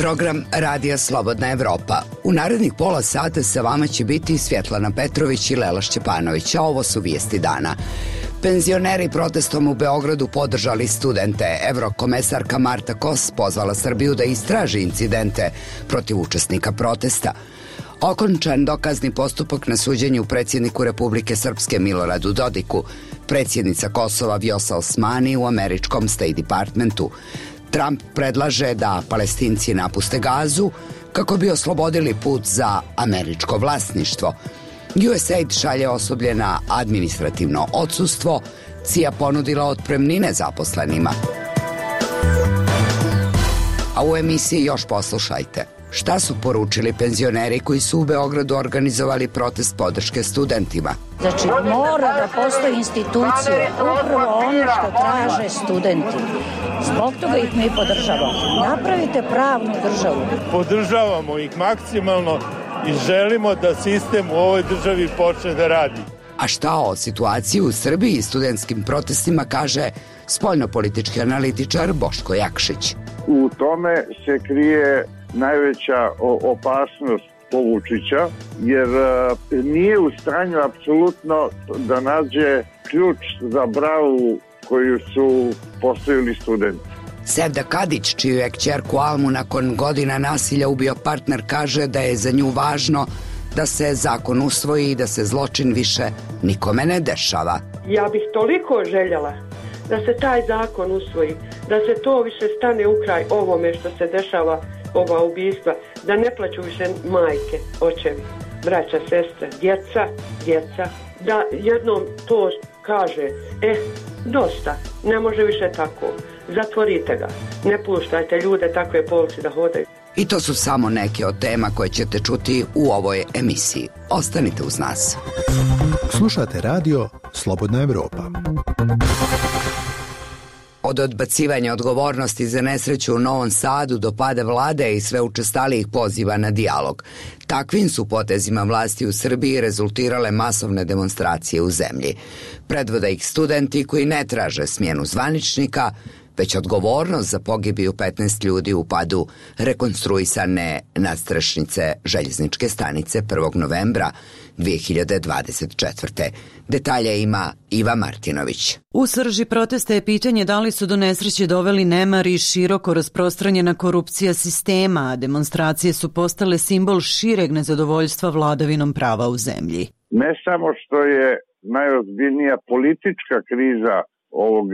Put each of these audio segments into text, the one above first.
program Radija Slobodna Evropa. U narednih pola sata sa vama će biti Svjetlana Petrović i Lela Šćepanović, a ovo su vijesti dana. Penzioneri protestom u Beogradu podržali studente. Evrokomesarka Marta Kos pozvala Srbiju da istraži incidente protiv učesnika protesta. Okončan dokazni postupak na suđenju predsjedniku Republike Srpske Miloradu Dodiku, predsjednica Kosova Vjosa Osmani u američkom State Departmentu. Trump predlaže da Palestinci napuste Gazu kako bi oslobodili put za američko vlasništvo. USAID šalje osoblje na administrativno odsustvo, CIA ponudila otpremnine zaposlenima. A u emisiji još poslušajte. Šta su poručili penzioneri koji su u Beogradu organizovali protest podrške studentima? Znači, mora da postoji institucije, upravo ono što traže studenti. Zbog toga ih mi podržavamo. Napravite pravnu državu. Podržavamo ih maksimalno i želimo da sistem u ovoj državi počne da radi. A šta o situaciji u Srbiji i studentskim protestima kaže spoljnopolitički analitičar Boško Jakšić. U tome se krije najveća opasnost po Vučića, jer nije u stanju apsolutno da nađe ključ za bravu koju su postavili studenti. Sevda Kadić, čiju je kćerku Almu nakon godina nasilja ubio partner, kaže da je za nju važno da se zakon usvoji i da se zločin više nikome ne dešava. Ja bih toliko željela da se taj zakon usvoji, da se to više stane u kraj ovome što se dešava, ova ubistva, da ne plaću više majke, očevi, braća, sestre, djeca, da jednom to kaže, dosta, ne može više tako, zatvorite ga, ne puštajte ljude takve polici da hodaju. I to su samo neke od tema koje ćete čuti u ovoj emisiji. Ostanite uz nas. Slušate radio Slobodna Evropa. Od odbacivanja odgovornosti za nesreću u Novom Sadu do pada vlade i sve učestalijih poziva na dijalog. Takvim su potezima vlasti u Srbiji rezultirale masovne demonstracije u zemlji. Predvode ih studenti koji ne traže smjenu zvaničnika, već odgovornost za pogibiju 15 ljudi u padu rekonstruisane nadstrešnice željezničke stanice 1. novembra 2024. Detalje ima Iva Martinović. U srži protesta je pitanje da li su do nesreće doveli nemar i široko rasprostranjena korupcija sistema, a demonstracije su postale simbol šireg nezadovoljstva vladavinom prava u zemlji. Ne samo što je najozbiljnija politička kriza ovog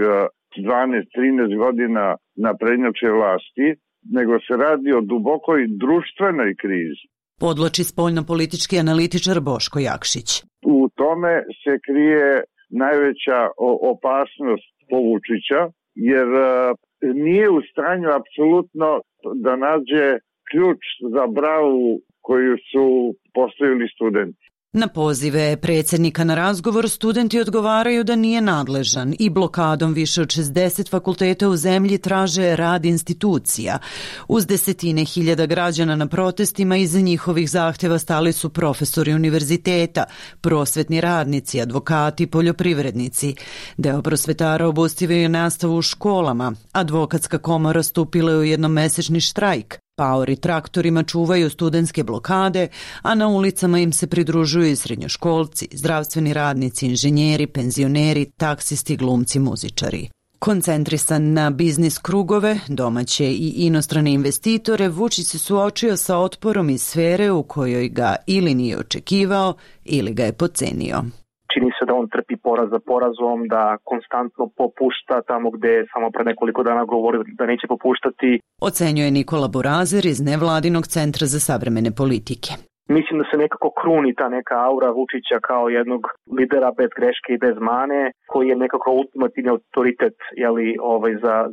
12-13 godina naprednjače vlasti, nego se radi o dubokoj društvenoj krizi. Podvlači spoljnopolitički analitičar Boško Jakšić. U tome se krije najveća opasnost po Vučića, jer nije u stanju apsolutno da nađe ključ za bravu koju su postavili studenti. Na pozive predsjednika na razgovor studenti odgovaraju da nije nadležan i blokadom više od 60 fakulteta u zemlji traže rad institucija. Uz desetine hiljada građana na protestima iza njihovih zahtjeva stali su profesori univerziteta, prosvetni radnici, advokati, poljoprivrednici. Deo prosvetara obustavio nastavu u školama, advokatska komora stupila je u jednomesečni štrajk. Paori traktorima čuvaju studentske blokade, a na ulicama im se pridružuju i srednjoškolci, zdravstveni radnici, inženjeri, penzioneri, taksisti, glumci, muzičari. Koncentrisan na biznis krugove, domaće i inostrane investitore, Vučić se suočio sa otporom iz sfere u kojoj ga ili nije očekivao ili ga je podcenio. Čini se da on trpi poraz za porazom, da konstantno popušta tamo gde je samo pre nekoliko dana govorio da neće popuštati. Ocenjuje Nikola Borazer iz Nevladinog centra za savremene politike. Mislim da se nekako kruni ta neka aura Vučića kao jednog lidera bez greške i bez mane, koji je nekako ultimativni autoritet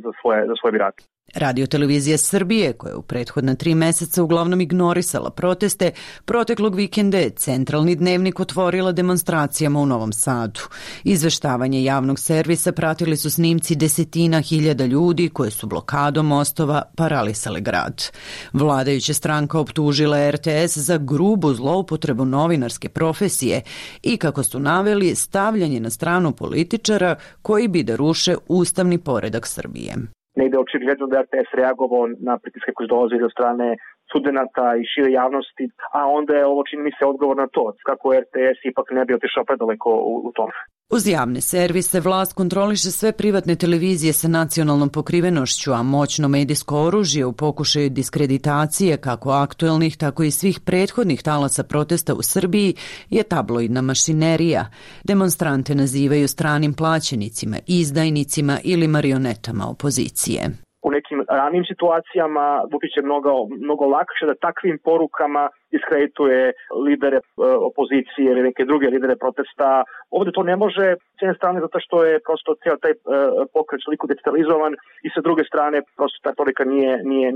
za svoje birače. Radiotelevizija Srbije, koja je u prethodna 3 meseca uglavnom ignorisala proteste, proteklog vikenda je Centralni dnevnik otvorila demonstracijama u Novom Sadu. Izveštavanje javnog servisa pratili su snimci desetina hiljada ljudi koje su blokadom mostova paralisale grad. Vladajuća stranka optužila RTS za grubu zloupotrebu novinarske profesije i, kako su naveli, stavljanje na stranu političara koji bi da ruše ustavni poredak Srbije. Negde očigledno da RTS reagovao na pritiske koji dolaze od strane studenata i šire javnosti, a onda je ovo, čini mi se, odgovor na to, kako RTS ipak ne bi otišao predaleko u tom. Uz javne servise vlast kontroliše sve privatne televizije sa nacionalnom pokrivenošću, a moćno medijsko oružje u pokušaju diskreditacije kako aktuelnih, tako i svih prethodnih talasa protesta u Srbiji je tabloidna mašinerija. Demonstrante nazivaju stranim plaćenicima, izdajnicima ili marionetama opozicije. U nekim ranijim situacijama Vučić je mnogo lakše da takvim porukama diskredituje lidere opozicije ili neke druge lidere protesta. Ovdje to ne može, s jedne strane zato što je prosto cijel taj pokret toliko digitalizovan i sa druge strane prosto ta porika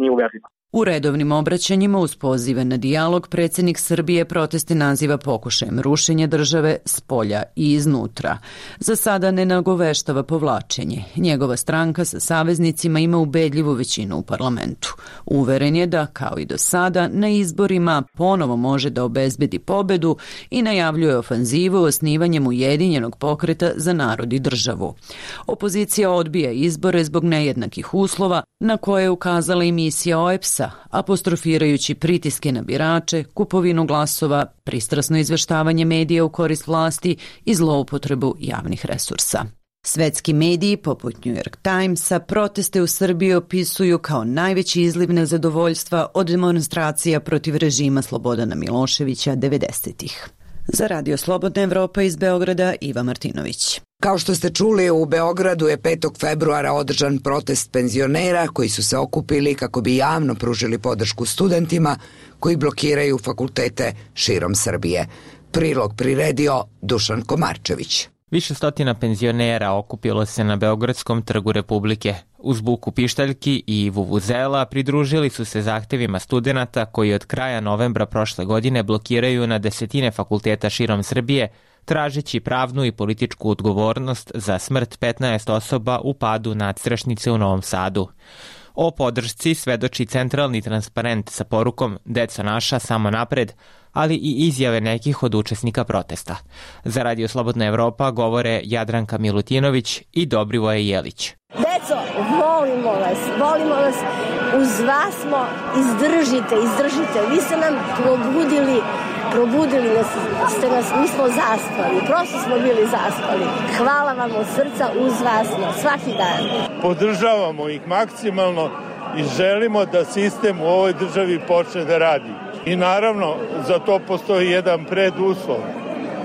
nije uverljiva. U redovnim obraćanjima uz pozive na dijalog predsjednik Srbije proteste naziva pokušajem rušenja države s polja i iznutra. Za sada ne nagoveštava povlačenje. Njegova stranka sa saveznicima ima ubedljivu većinu u parlamentu. Uveren je da, kao i do sada, na izborima ponovo može da obezbedi pobedu i najavljuje ofanzivu osnivanjem ujedinjenog pokreta za narod i državu. Opozicija odbija izbore zbog nejednakih uslova na koje je ukazala i misija OEBS-a, apostrofirajući pritiske na birače, kupovinu glasova, pristrasno izveštavanje medija u korist vlasti i zloupotrebu javnih resursa. Svetski mediji, poput New York Timesa, proteste u Srbiji opisuju kao najveći izliv nezadovoljstva od demonstracija protiv režima Slobodana Miloševića 90-ih. Za Radio Slobodna Evropa iz Beograda, Iva Martinović. Kao što ste čuli, u Beogradu je 5. februara održan protest penzionera koji su se okupili kako bi javno pružili podršku studentima koji blokiraju fakultete širom Srbije. Prilog priredio Dušan Komarčević. Više stotina penzionera okupilo se na Beogradskom trgu Republike. Uz buku pištaljki i vuvuzela pridružili su se zahtevima studenata koji od kraja novembra prošle godine blokiraju na desetine fakulteta širom Srbije, tražeći pravnu i političku odgovornost za smrt 15 osoba u padu nadstrešnice u Novom Sadu. O podršci svedoči centralni transparent sa porukom "Deco naša, samo napred", ali i izjave nekih od učesnika protesta. Za Radio Slobodna Evropa govore Jadranka Milutinović i Dobrivoje Jelić. Deco, volimo vas, uz vas smo, izdržite. Vi ste nam probudili ste nas, mi smo zaspali, prosto smo bili zaspali. Hvala vam od srca, uz vas svaki dan. Podržavamo ih maksimalno i želimo da sistem u ovoj državi počne da radi. I naravno, za to postoji jedan preduslov,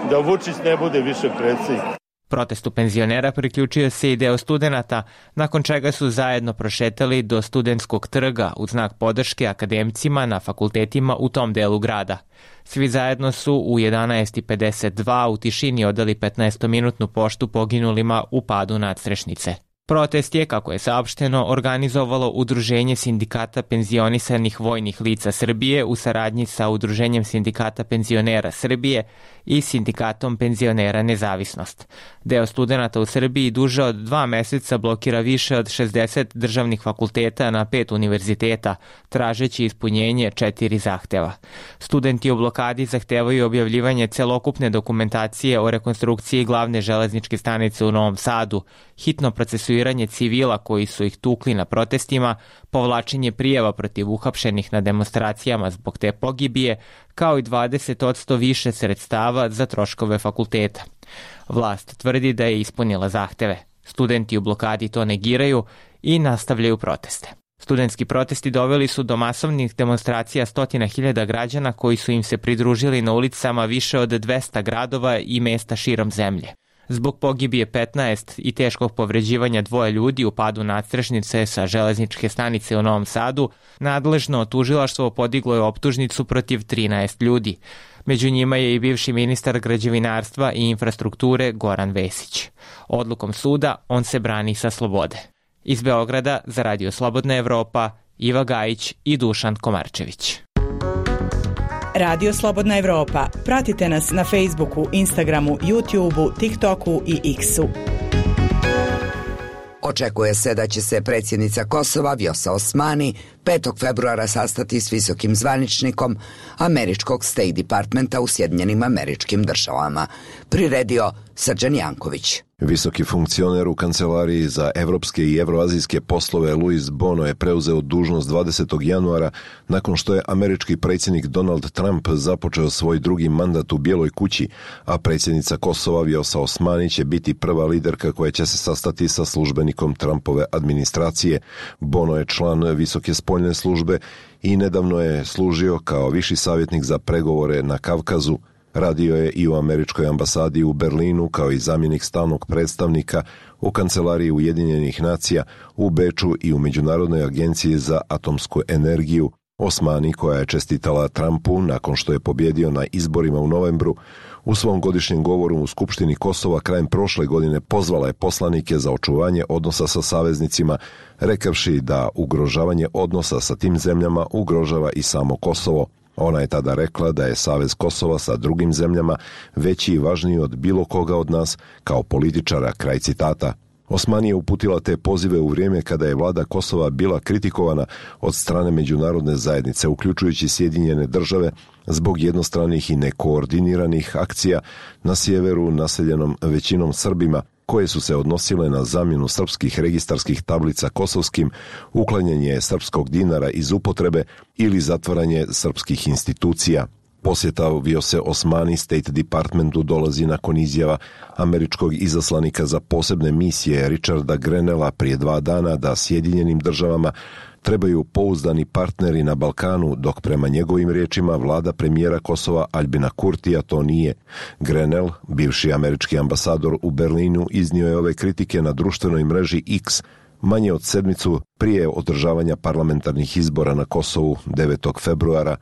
da Vučić ne bude više predsjednik. Protestu penzionera priključio se i deo studenata, nakon čega su zajedno prošetali do Studentskog trga u znak podrške akademcima na fakultetima u tom delu grada. Svi zajedno su u 11:52 u tišini odali 15-minutnu poštu poginulima u padu nadstrešnice. Protest je, kako je saopšteno, organizovalo Udruženje sindikata penzionisanih vojnih lica Srbije u saradnji sa Udruženjem sindikata penzionera Srbije i Sindikatom penzionera Nezavisnost. Deo studenata u Srbiji duže od 2 meseca blokira više od 60 državnih fakulteta na 5 univerziteta, tražeći ispunjenje 4 zahteva. Studenti u blokadi zahtevaju objavljivanje celokupne dokumentacije o rekonstrukciji glavne železničke stanice u Novom Sadu, hitno procesuiranje civila koji su ih tukli na protestima, povlačenje prijava protiv uhapšenih na demonstracijama zbog te pogibije, kao i 20% više sredstava za troškove fakulteta. Vlast tvrdi da je ispunila zahteve. Studenti u blokadi to negiraju i nastavljaju proteste. Studentski protesti doveli su do masovnih demonstracija 100.000 građana koji su im se pridružili na ulicama više od 200 gradova i mesta širom zemlje. Zbog pogibije 15 i teškog povređivanja 2 ljudi u padu nadstrešnice sa železničke stanice u Novom Sadu, nadležno tužilaštvo podiglo je optužnicu protiv 13 ljudi. Među njima je i bivši ministar građevinarstva i infrastrukture Goran Vesić. Odlukom suda on se brani sa slobode. Iz Beograda za Radio Slobodna Evropa, Iva Gajić i Dušan Komarčević. Radio Slobodna Evropa. Pratite nas na Facebooku, Instagramu, YouTubeu, TikToku i X-u. Očekuje se da će se predsjednica Kosova Vjosa Osmani 5. februara sastati s visokim zvaničnikom američkog State Departmenta u Sjedinjenim Američkim Državama. Priredio Srđan Janković. Visoki funkcioner u kancelariji za evropske i evroazijske poslove Luis Bono je preuzeo dužnost 20. januara nakon što je američki predsjednik Donald Trump započeo svoj drugi mandat u Bijeloj kući, a predsjednica Kosova Vjosa Osmani će biti prva liderka koja će se sastati sa službenikom Trumpove administracije. Bono je član Visoke spoljne službe i nedavno je služio kao viši savjetnik za pregovore na Kavkazu. Radio je i u američkoj ambasadi u Berlinu kao i zamjenik stalnog predstavnika u kancelariji Ujedinjenih nacija u Beču i u Međunarodnoj agenciji za atomsku energiju. Osmani, koja je čestitala Trumpu nakon što je pobjedio na izborima u novembru, u svom godišnjem govoru u Skupštini Kosova krajem prošle godine pozvala je poslanike za očuvanje odnosa sa saveznicima, rekavši da ugrožavanje odnosa sa tim zemljama ugrožava i samo Kosovo. Ona je tada rekla da je Savez Kosova sa drugim zemljama veći i važniji od bilo koga od nas kao političara, kraj citata. Osmani je uputila te pozive u vrijeme kada je vlada Kosova bila kritikovana od strane međunarodne zajednice, uključujući Sjedinjene države, zbog jednostranih i nekoordiniranih akcija na sjeveru naseljenom većinom Srbima, koje su se odnosile na zamjenu srpskih registarskih tablica kosovskim, uklanjanje srpskog dinara iz upotrebe ili zatvaranje srpskih institucija. Posjeta Vjose Osmani State Departmentu dolazi nakon izjava američkog izaslanika za posebne misije Richarda Grenella prije 2 dana da Sjedinjenim državama trebaju pouzdani partneri na Balkanu, dok prema njegovim riječima vlada premijera Kosova Albina Kurtija to nije. Grenell, bivši američki ambasador u Berlinu, iznio je ove kritike na društvenoj mreži X manje od sedmicu prije održavanja parlamentarnih izbora na Kosovu 9. februara.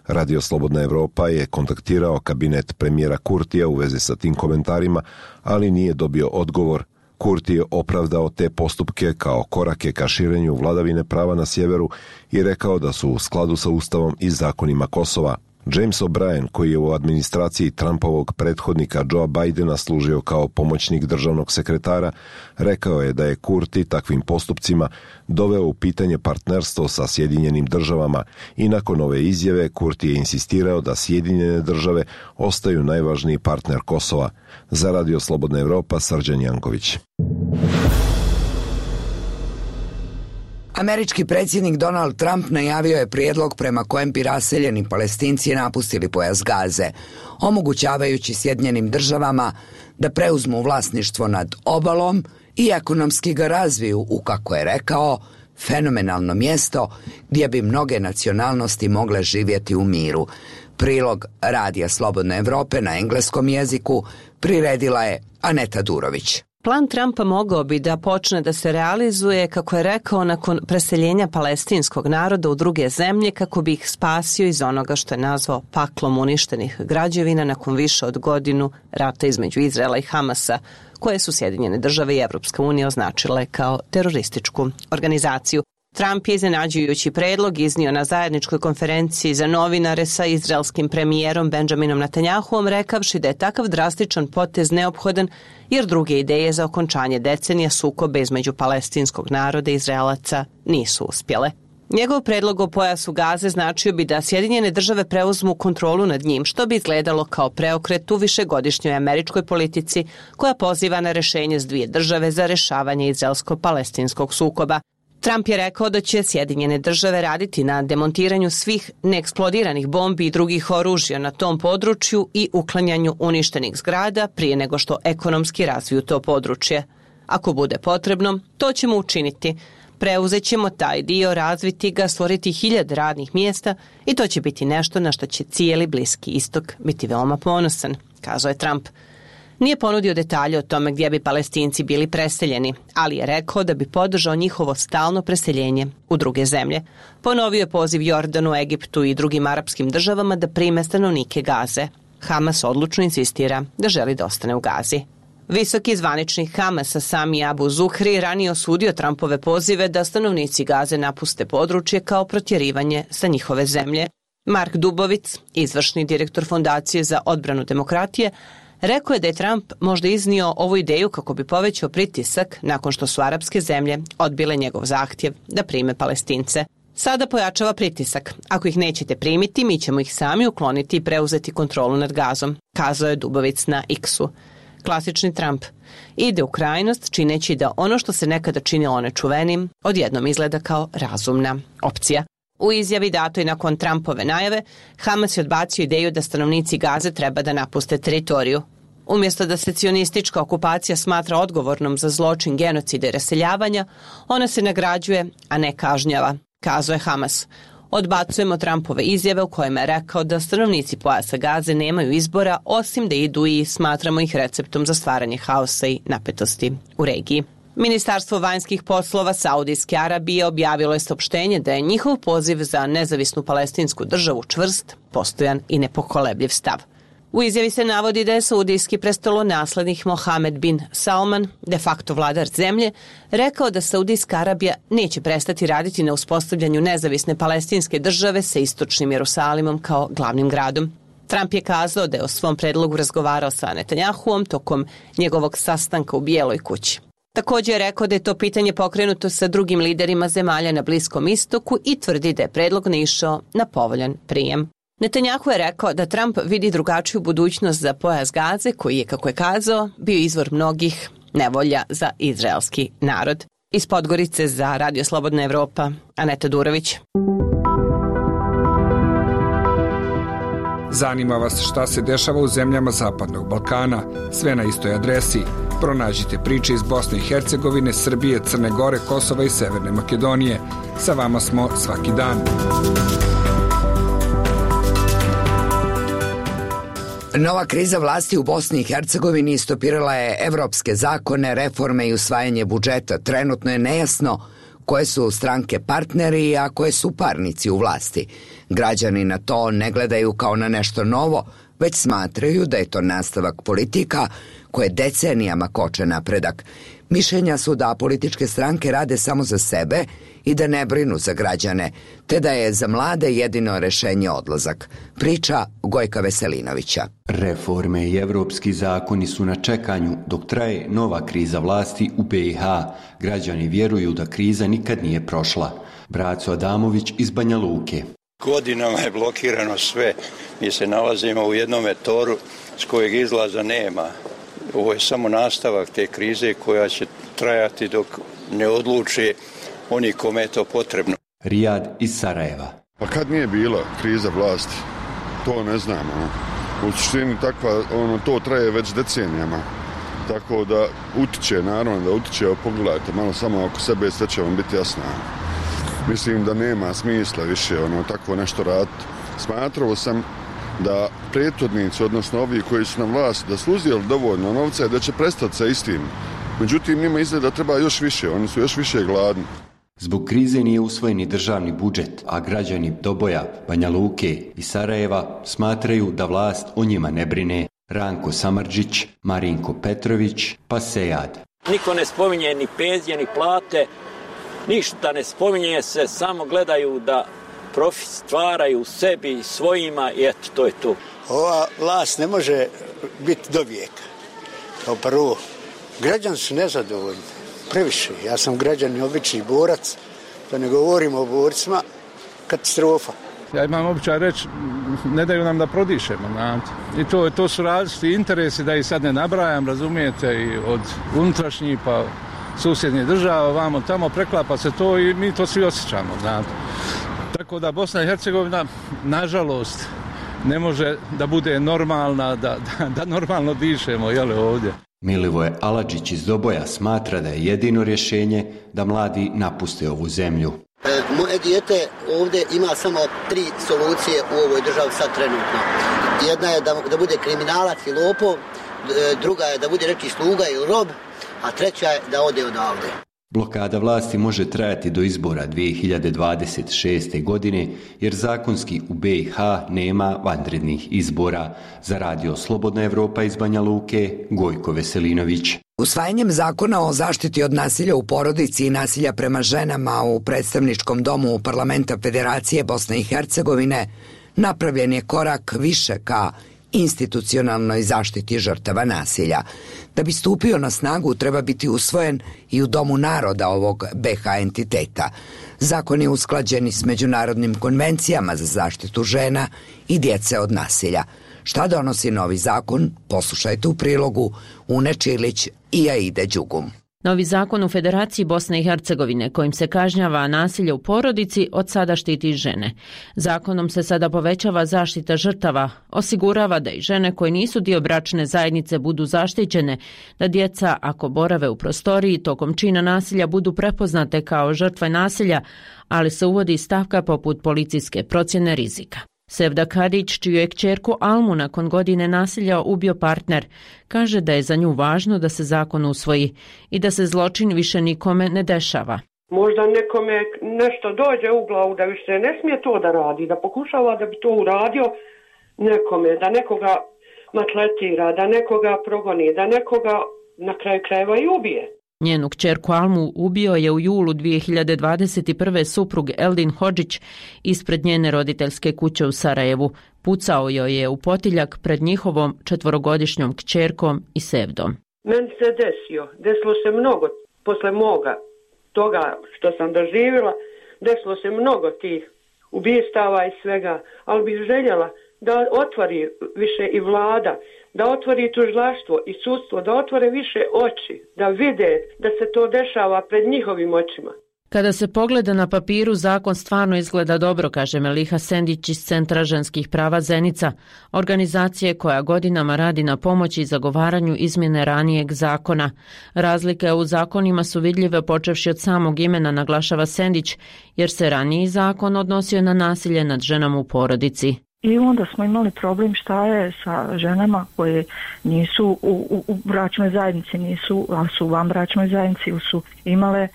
Radio Slobodna Evropa je kontaktirao kabinet premijera Kurtija u vezi sa tim komentarima, ali nije dobio odgovor. Kurti je opravdao te postupke kao korake ka širenju vladavine prava na sjeveru i rekao da su u skladu sa Ustavom i zakonima Kosova. James O'Brien, koji je u administraciji Trumpovog prethodnika Joea Bidena služio kao pomoćnik državnog sekretara, rekao je da je Kurti takvim postupcima doveo u pitanje partnerstvo sa Sjedinjenim državama i nakon ove izjave Kurti je insistirao da Sjedinjene države ostaju najvažniji partner Kosova. Za Radio Slobodna Evropa, Srđan Janković. Američki predsjednik Donald Trump najavio je prijedlog prema kojem bi raseljeni Palestinci napustili pojas Gaze, omogućavajući Sjedinjenim državama da preuzmu vlasništvo nad obalom i ekonomski ga razviju u, kako je rekao, fenomenalno mjesto gdje bi mnoge nacionalnosti mogle živjeti u miru. Prilog Radija Slobodne Evrope na engleskom jeziku priredila je Aneta Durović. Plan Trumpa mogao bi da počne da se realizuje, kako je rekao, nakon preseljenja palestinskog naroda u druge zemlje kako bi ih spasio iz onoga što je nazvao paklom uništenih građevina nakon više od godinu rata između Izraela i Hamasa, koje su Sjedinjene države i Evropska unija označile kao terorističku organizaciju. Trump je iznenađujući predlog iznio na zajedničkoj konferenciji za novinare sa izraelskim premijerom Benjaminom Netanjahuom, rekavši da je takav drastičan potez neophodan jer druge ideje za okončanje decenija sukoba između palestinskog naroda i Izraelaca nisu uspjele. Njegov predlog o pojasu Gaze značio bi da Sjedinjene države preuzmu kontrolu nad njim, što bi izgledalo kao preokret u višegodišnjoj američkoj politici koja poziva na rješenje s 2 države za rješavanje izraelsko-palestinskog sukoba. Trump je rekao da će Sjedinjene države raditi na demontiranju svih neeksplodiranih bombi i drugih oružja na tom području i uklanjanju uništenih zgrada prije nego što ekonomski razviju to područje. Ako bude potrebno, to ćemo učiniti. Preuzet ćemo taj dio, razviti ga, stvoriti 1000 radnih mjesta i to će biti nešto na što će cijeli Bliski istok biti veoma ponosan, kazao je Trump. Nije ponudio detalje o tome gdje bi Palestinci bili preseljeni, ali je rekao da bi podržao njihovo stalno preseljenje u druge zemlje. Ponovio je poziv Jordanu, Egiptu i drugim arapskim državama da prime stanovnike Gaze. Hamas odlučno insistira da želi da ostane u Gazi. Visoki zvaničnik Hamasa Sami Abu Zuhri ranije osudio Trumpove pozive da stanovnici Gaze napuste područje kao protjerivanje sa njihove zemlje. Mark Dubovic, izvršni direktor Fondacije za odbranu demokratije, rekao je da je Trump možda iznio ovu ideju kako bi povećao pritisak nakon što su arapske zemlje odbile njegov zahtjev da prime Palestince. Sada pojačava pritisak. Ako ih nećete primiti, mi ćemo ih sami ukloniti i preuzeti kontrolu nad Gazom, kazao je Dubovic na X-u. Klasični Trump. Ide u krajnost čineći da ono što se nekada činilo nečuvenim odjednom izgleda kao razumna opcija. U izjavi datoj nakon Trumpove najave, Hamas je odbacio ideju da stanovnici Gaze treba da napuste teritoriju. Umjesto da se cionistička okupacija smatra odgovornom za zločin genocida i raseljavanja, ona se nagrađuje, a ne kažnjava, kazao je Hamas. Odbacujemo Trumpove izjave u kojima je rekao da stanovnici pojasa Gaze nemaju izbora osim da idu i smatramo ih receptom za stvaranje haosa i napetosti u regiji. Ministarstvo vanjskih poslova Saudijske Arabije objavilo je saopštenje da je njihov poziv za nezavisnu palestinsku državu čvrst, postojan i nepokolebljiv stav. U izjavi se navodi da je saudijski prestolonaslednik Mohamed bin Salman, de facto vladar zemlje, rekao da Saudijska Arabija neće prestati raditi na uspostavljanju nezavisne palestinske države sa istočnim Jerusalimom kao glavnim gradom. Trump je kazao da je o svom predlogu razgovarao sa Netanjahuom tokom njegovog sastanka u Bijeloj kući. Također je rekao da je to pitanje pokrenuto sa drugim liderima zemalja na Bliskom istoku i tvrdi da je predlog naišao na povoljan prijem. Netanjahu je rekao da Trump vidi drugačiju budućnost za pojas Gaze, koji je, kako je kazao, bio izvor mnogih nevolja za izraelski narod. Iz Podgorice za Radio Slobodna Evropa, Aneta Durović. Zanima vas šta se dešava u zemljama Zapadnog Balkana? Sve na istoj adresi. Pronađite priče iz Bosne i Hercegovine, Srbije, Crne Gore, Kosova i Severne Makedonije. Sa vama smo svaki dan. Nova kriza vlasti u Bosni i Hercegovini stopirala je evropske zakone, reforme i usvajanje budžeta. Trenutno je nejasno koje su stranke partneri, a koje su parnici u vlasti. Građani na to ne gledaju kao na nešto novo, već smatraju da je to nastavak politika koje decenijama koče napredak. Mišljenja su da političke stranke rade samo za sebe i da ne brinu za građane, te da je za mlade jedino rešenje odlazak. Priča Gojka Veselinovića. Reforme i evropski zakoni su na čekanju dok traje nova kriza vlasti u BiH. Građani vjeruju da kriza nikad nije prošla. Braco Adamović iz Banja Luke. Godinama je blokirano sve. Mi se nalazimo u jednom toru s kojeg izlaza nema. Ovo je samo nastavak te krize koja će trajati dok ne odluče oni kome je to potrebno. Rijad iz Sarajeva. Pa kad nije bila kriza vlasti? To ne znamo. U suštini to traje već decenijama. Tako da utiče, naravno da utiče, pogledajte malo samo oko sebe, sve će vam biti jasno. Mislim da nema smisla više tako nešto raditi. Smatrao sam da prethodnici, odnosno ovi koji su na vlasti, da su uzeli dovoljno novca i da će prestati sa istim. Međutim, njima izgleda da treba još više, oni su još više gladni. Zbog krize nije usvojen ni državni budžet, a građani Doboja, Banja Luke i Sarajeva smatraju da vlast o njima ne brine. Ranko Samardžić, Marinko Petrović, pa Sejad. Niko ne spominje ni penzije, ni plate, ništa ne spominje se, samo gledaju da profit stvaraju sebi i svojima i eto, to je to. Ova vlast ne može biti do vijeka. Kao prvo, građani su nezadovoljni, previše. Ja sam građan i obični borac, da ne govorimo o borcima, katastrofa. Ja imam običaj reći, ne daju nam da prodišemo. I to su različiti interesi, da ih sad ne nabrajam, razumijete, i od unutrašnjih pa susjednih država, vamo tamo, preklapa se to i mi to svi osjećamo. Tako da Bosna i Hercegovina, nažalost, ne može da bude normalna, da normalno dišemo ovdje. Milivoje Aladžić iz Doboja smatra da je jedino rješenje da mladi napuste ovu zemlju. Moje dijete ovdje ima samo 3 solucije u ovoj državi sad trenutno. Jedna je da bude kriminalac i lopov, druga je da bude neki sluga ili rob, a treća je da ode odavde. Blokada vlasti može trajati do izbora 2026. godine, jer zakonski u BiH nema vanrednih izbora. Za Radio Slobodna Evropa iz Banja Luke, Gojko Veselinović. Usvajanjem zakona o zaštiti od nasilja u porodici i nasilja prema ženama u predstavničkom domu Parlamenta Federacije Bosne i Hercegovine napravljen je korak više ka institucionalnoj zaštiti žrtava nasilja. Da bi stupio na snagu treba biti usvojen i u Domu naroda ovog BiH entiteta. Zakon je usklađen s međunarodnim konvencijama za zaštitu žena i djece od nasilja. Šta donosi novi zakon? Poslušajte u prilogu Une Čilić i Aide Đugum. Novi zakon u Federaciji Bosne i Hercegovine kojim se kažnjava nasilje u porodici od sada štiti žene. Zakonom se sada povećava zaštita žrtava, osigurava da i žene koje nisu dio bračne zajednice budu zaštićene, da djeca ako borave u prostoriji tokom čina nasilja budu prepoznate kao žrtve nasilja, ali se uvodi stavka poput policijske procjene rizika. Sevda Kadić, čiju je kćerku Almu nakon godine nasilja ubio partner, kaže da je za nju važno da se zakon usvoji i da se zločin više nikome ne dešava. Možda nekome nešto dođe u glavu da više ne smije to da radi, da pokušava da bi to uradio nekome, da nekoga matletira, da nekoga progoni, da nekoga na kraju krajeva i ubije. Njenu kćerku Almu ubio je u julu 2021. suprug Eldin Hodžić ispred njene roditeljske kuće u Sarajevu. Pucao joj je u potiljak pred njihovom 4-godišnjom kćerkom i Sevdom. Meni se desilo se mnogo, posle moga toga što sam doživjela, desilo se mnogo tih ubistava i svega, ali bih željela da otvori više i vlada, da otvori tužilaštvo i sudstvo, da otvore više oči, da vide da se to dešava pred njihovim očima. Kada se pogleda na papiru, zakon stvarno izgleda dobro, kaže Meliha Sendić iz Centra ženskih prava Zenica, organizacije koja godinama radi na pomoći i zagovaranju izmjene ranijeg zakona. Razlike u zakonima su vidljive počevši od samog imena, naglašava Sendić, jer se raniji zakon odnosio na nasilje nad ženama u porodici. I onda smo imali problem šta je sa ženama koje nisu u bračnoj zajednici, a su u vanbračnoj zajednici, su imale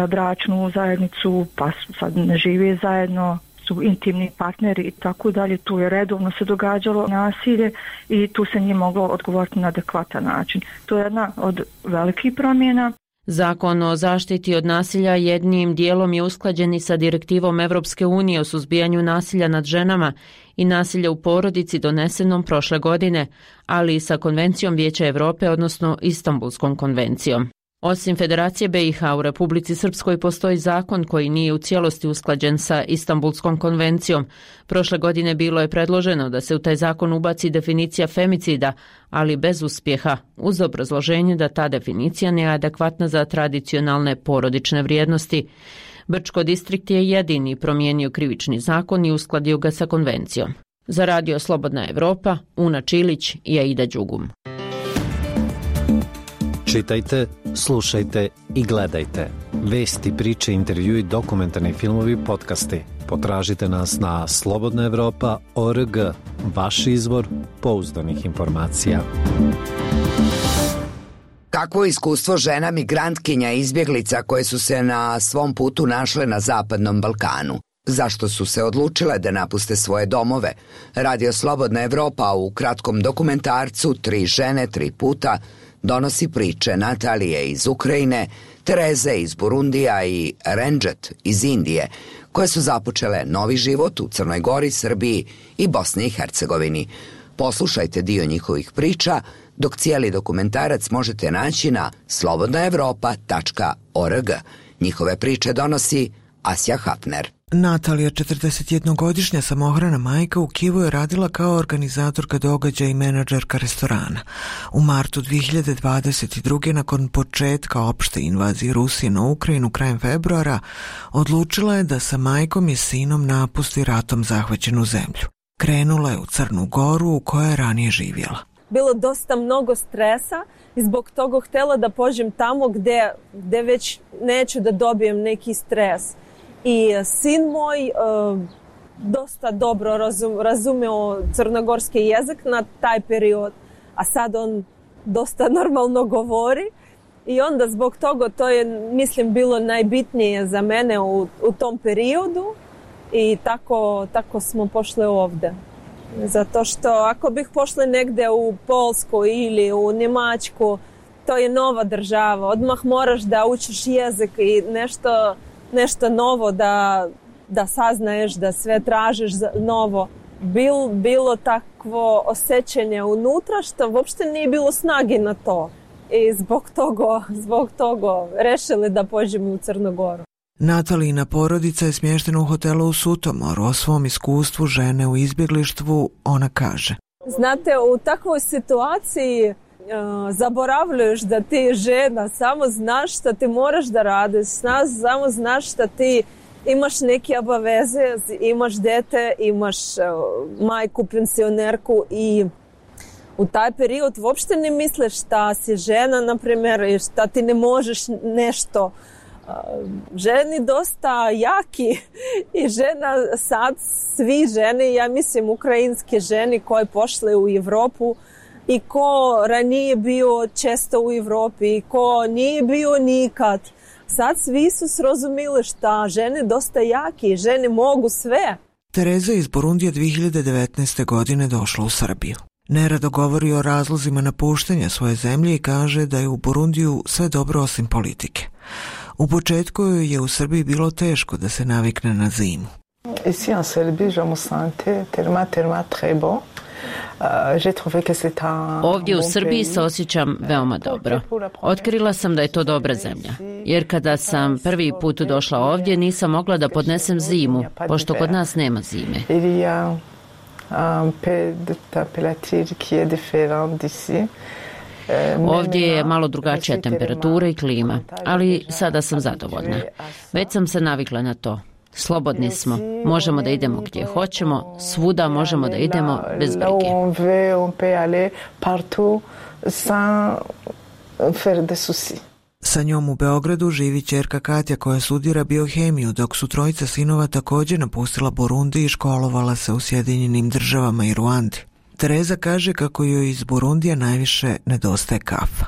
bračnu zajednicu, pa sad ne žive zajedno, su intimni partneri i tako dalje. Tu je redovno se događalo nasilje i tu se nije moglo odgovoriti na adekvatan način. To je jedna od velikih promjena. Zakon o zaštiti od nasilja jednim dijelom je usklađen i sa direktivom Evropske unije o suzbijanju nasilja nad ženama i nasilja u porodici donesenom prošle godine, ali i sa Konvencijom Vijeća Europe, odnosno Istanbulskom konvencijom. Osim Federacije BiH, u Republici Srpskoj postoji zakon koji nije u cijelosti usklađen sa Istanbulskom konvencijom. Prošle godine bilo je predloženo da se u taj zakon ubaci definicija femicida, ali bez uspjeha, uz obrazloženje da ta definicija nije adekvatna za tradicionalne porodične vrijednosti. Brčko distrikt je jedini promijenio krivični zakon i uskladio ga sa konvencijom. Za Radio Slobodna Evropa, Una Čilić i Aida Đugum. Čitajte, slušajte i gledajte. Vesti, priče, intervjui, dokumentarni filmovi, podcasti. Potražite nas na slobodnaevropa.org, vaš izvor pouzdanih informacija. Kakvo iskustvo žena migrantkinja i izbjeglica koje su se na svom putu našle na Zapadnom Balkanu? Zašto su se odlučile da napuste svoje domove? Radio Slobodna Evropa u kratkom dokumentarcu 3 žene, 3 puta donosi priče Natalije iz Ukrajine, Tereze iz Burundija i Renđet iz Indije, koje su započele novi život u Crnoj Gori, Srbiji i Bosni i Hercegovini. Poslušajte dio njihovih priča, dok cijeli dokumentarac možete naći na slobodnaevropa.org. Njihove priče donosi Asja Hapner. Natalija, 41-godišnja samohrana majka, u Kijevu je radila kao organizatorka događaja i menadžerka restorana. U martu 2022. nakon početka opšte invazije Rusije na Ukrajinu krajem februara, odlučila je da sa majkom i sinom napusti ratom zahvaćenu zemlju. Krenula je u Crnu Goru u kojoj je ranije živjela. Bilo dosta mnogo stresa i zbog toga htjela da pođem tamo gdje već neću da dobijem neki stres. I sin moj dosta dobro razumeo crnogorski jezik na taj period, a sad on dosta normalno govori. I onda zbog toga to je, mislim, bilo najbitnije za mene u tom periodu i tako smo pošli ovdje. Zato što ako bih pošli negdje u Polsku ili u Njemačku, to je nova država. Odmah moraš da učiš jezik i nešto novo da saznaješ, da sve tražiš novo. Bilo takvo osjećanje unutra što uopšte nije bilo snage na to. I zbog toga rešili da pođemo u Crnu Goru. Natalijina porodica je smještena u hotelu u Sutomoru. O svom iskustvu žene u izbjeglištvu ona kaže. Znate, u takvoj situaciji zaboravljaš da ti je žena, samo znaš šta ti moraš da radiš, samo znaš šta ti imaš neke obaveze, imaš dete, imaš majku, pensionerku i u taj period uopšte ne misliš šta si žena, na primjer, i šta ti ne možeš nešto. Ženi dosta jaki i žena sad, svi žene, ja mislim ukrajinske žene koje pošle u Evropu i ko ranije bio često u Evropi i ko nije bio nikad. Sad svi su srozumili šta žene dosta jaki, žene mogu sve. Tereza iz Burundija 2019. godine došla u Srbiju. Nerado govori o razlozima napuštanja svoje zemlje i kaže da je u Burundiju sve dobro osim politike. U početku je u Srbiji bilo teško da se navikne na zimu. Ici en Serbie, je me sentais tellement très bon. Ovdje u Srbiji se osjećam veoma dobro. Otkrila sam da je to dobra zemlja. Jer kada sam prvi put došla ovdje, nisam mogla da podnesem zimu, pošto kod nas nema zime. Ovdje je malo drugačija temperatura i klima, ali sada sam zadovoljna. Već sam se navikla na to. Slobodni smo, možemo da idemo gdje hoćemo, svuda možemo da idemo bez brige. Sa njom u Beogradu živi ćerka Katja koja studira biohemiju, dok su trojica sinova također napustila Burundi i školovala se u Sjedinjenim Državama i Ruandi. Tereza kaže kako joj iz Burundija najviše nedostaje kafa.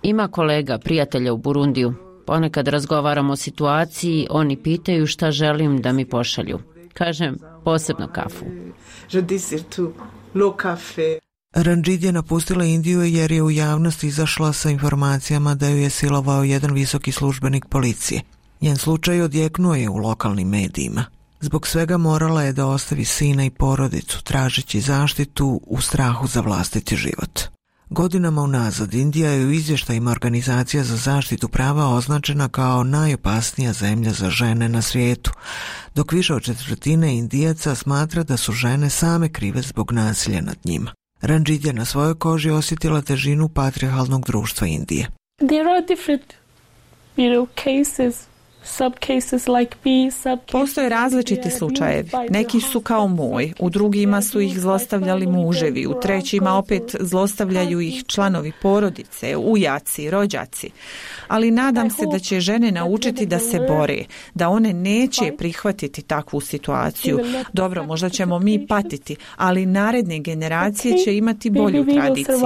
Ima kolega, prijatelja u Burundiju. Ponekad razgovaramo o situaciji, oni pitaju šta želim da mi pošalju. Kažem, posebno kafu. Ranjit je napustila Indiju jer je u javnosti izašla sa informacijama da ju je silovao jedan visoki službenik policije. Njen slučaj odjeknuo je u lokalnim medijima. Zbog svega morala je da ostavi sina i porodicu, tražeći zaštitu u strahu za vlastiti život. Godinama unazad Indija je u izvještajima Organizacija za zaštitu prava označena kao najopasnija zemlja za žene na svijetu, dok više od 1/4 Indijaca smatra da su žene same krive zbog nasilja nad njima. Ranjit je na svojoj koži osjetila težinu patrijarhalnog društva Indije. There are different, cases. Postoje različiti slučajevi. Neki su kao moj, u drugima su ih zlostavljali muževi, u trećima opet zlostavljaju ih članovi porodice, ujaci, rođaci. Ali nadam se da će žene naučiti da se bore, da one neće prihvatiti takvu situaciju. Dobro, možda ćemo mi patiti, ali naredne generacije će imati bolju tradiciju.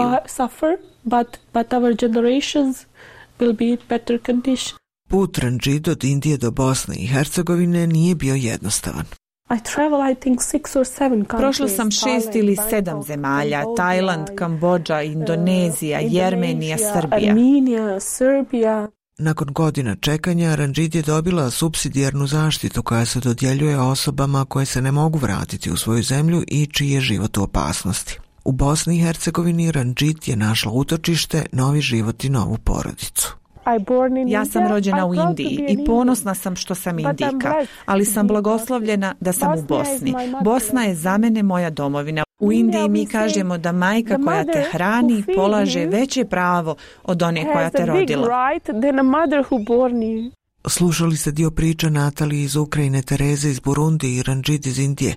But our generations will be in better condition. Put Ranjit od Indije do Bosne i Hercegovine nije bio jednostavan. Prošla sam 6 ili 7 zemalja, Tajland, Kambodža, Indonezija, Jermenija, Srbija. Nakon godina čekanja, Ranjit je dobila supsidijarnu zaštitu koja se dodjeljuje osobama koje se ne mogu vratiti u svoju zemlju i čiji je život u opasnosti. U Bosni i Hercegovini Ranjit je našla utočište, novi život i novu porodicu. Ja sam rođena u Indiji i ponosna sam što sam Indijka, ali sam blagoslovljena da sam u Bosni. Bosna je za mene moja domovina. U Indiji mi kažemo da majka koja te hrani polaže veće pravo od one koja te rodila. Slušali ste dio priča Natalije iz Ukrajine, Tereze iz Burundi i Ranjit iz Indije,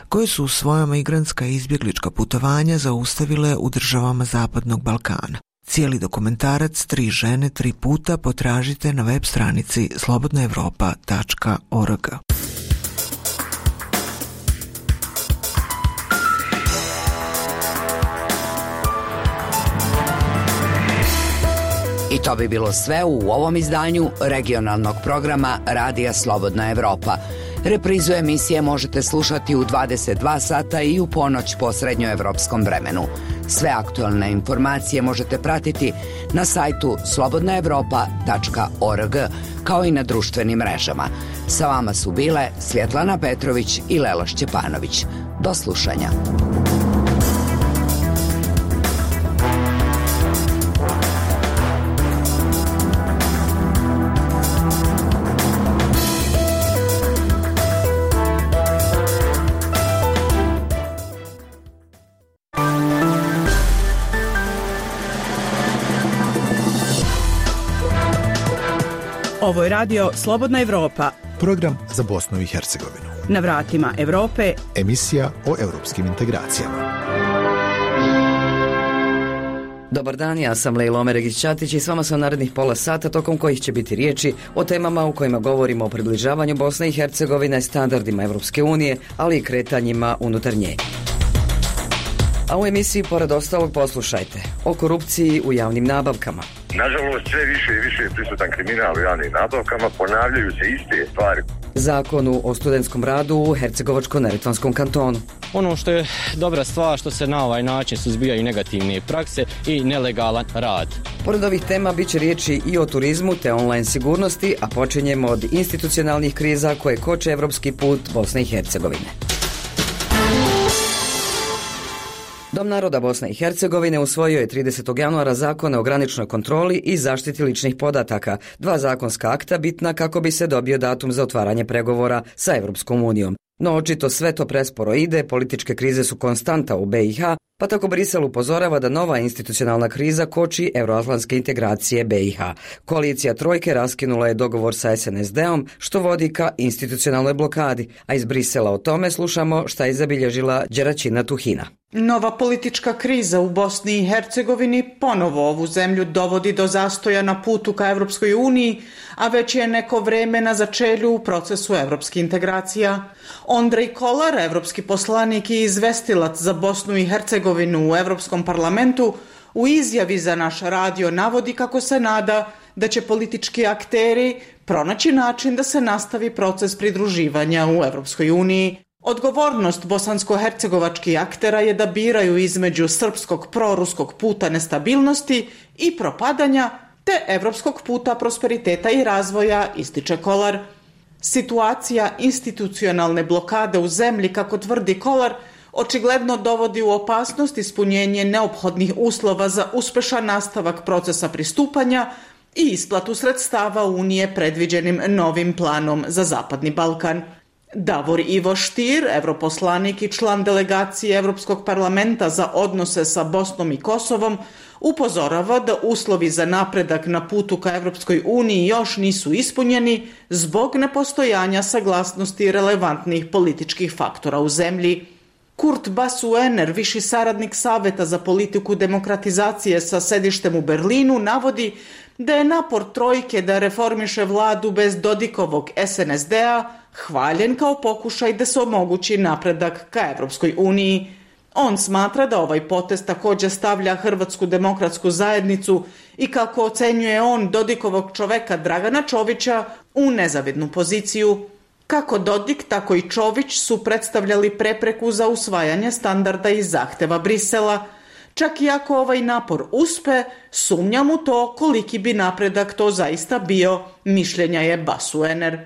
koje su svoja migrantska i izbjeglička putovanja zaustavile u državama Zapadnog Balkana. Cijeli dokumentarac 3 žene, 3 puta potražite na web stranici slobodnaevropa.org. I to bi bilo sve u ovom izdanju regionalnog programa Radija Slobodna Evropa. Reprizu emisije možete slušati u 22 sata i u ponoć po srednjoevropskom vremenu. Sve aktualne informacije možete pratiti na sajtu slobodnaevropa.org, kao i na društvenim mrežama. Sa vama su bile Svjetlana Petrović i Lela Šćepanović. Do slušanja. Ovo je radio Slobodna Evropa. Program za Bosnu i Hercegovinu. Na vratima Evrope. Emisija o europskim integracijama. Dobar dan, ja sam Lejla Omeregić-Ćatić i s vama sam narednih pola sata tokom kojih će biti riječi o temama u kojima govorimo o približavanju Bosne i Hercegovine standardima Evropske unije, ali i kretanjima unutar nje. A u emisiji, pored ostalog, poslušajte o korupciji u javnim nabavkama. Nažalost, sve više i više je prisutan kriminal u javnim nabavkama, ponavljaju se iste stvari. Zakonu o studentskom radu u Hercegovačko-Neretvanskom kantonu. Ono što je dobra stvar što se na ovaj način suzbijaju negativne prakse i nelegalan rad. Pored ovih tema bit će riječi i o turizmu te online sigurnosti, a počinjemo od institucionalnih kriza koje koče evropski put Bosne i Hercegovine. Dom naroda Bosne i Hercegovine usvojio je 30. januara zakone o graničnoj kontroli i zaštiti ličnih podataka, dva zakonska akta bitna kako bi se dobio datum za otvaranje pregovora sa Evropskom unijom. No očito sve to presporo ide, političke krize su konstanta u BiH, pa tako Brisel upozorava da nova institucionalna kriza koči euroatlantske integracije BiH. Koalicija Trojke raskinula je dogovor sa SNSD-om, što vodi ka institucionalnoj blokadi, a iz Brisela o tome slušamo šta je zabilježila Đeraćina Tuhina. Nova politička kriza u Bosni i Hercegovini ponovo ovu zemlju dovodi do zastoja na putu ka Evropskoj uniji, a već je neko vreme na začelju u procesu evropskih integracija. Ondrej Kolar, evropski poslanik i izvestilac za Bosnu i Hercegovinu u Evropskom parlamentu, u izjavi za naš radio navodi kako se nada da će politički akteri pronaći način da se nastavi proces pridruživanja u Evropskoj uniji. Odgovornost bosansko-hercegovačkih aktera je da biraju između srpskog proruskog puta nestabilnosti i propadanja te evropskog puta prosperiteta i razvoja, ističe Kolar. Situacija institucionalne blokade u zemlji, kako tvrdi Kolar, očigledno dovodi u opasnost ispunjenje neophodnih uslova za uspešan nastavak procesa pristupanja i isplatu sredstava Unije predviđenim novim planom za Zapadni Balkan. Davor Ivo Stier, europoslanik i član delegacije Evropskog parlamenta za odnose sa Bosnom i Kosovom, upozorava da uslovi za napredak na putu ka Evropskoj uniji još nisu ispunjeni zbog nepostojanja saglasnosti relevantnih političkih faktora u zemlji. Kurt Basuener, viši saradnik Saveta za politiku demokratizacije sa sedištem u Berlinu, navodi da je napor Trojke da reformiše vladu bez Dodikovog SNSD-a hvaljen kao pokušaj da se omogući napredak ka Evropskoj uniji. On smatra da ovaj potez također stavlja Hrvatsku demokratsku zajednicu i, kako ocenjuje on, Dodikovog čoveka Dragana Čovića u nezavidnu poziciju. Kako Dodik, tako i Čović su predstavljali prepreku za usvajanje standarda i zahteva Brisela. Čak i ako ovaj napor uspe, sumnjam u to koliki bi napredak to zaista bio, mišljenja je Basuener.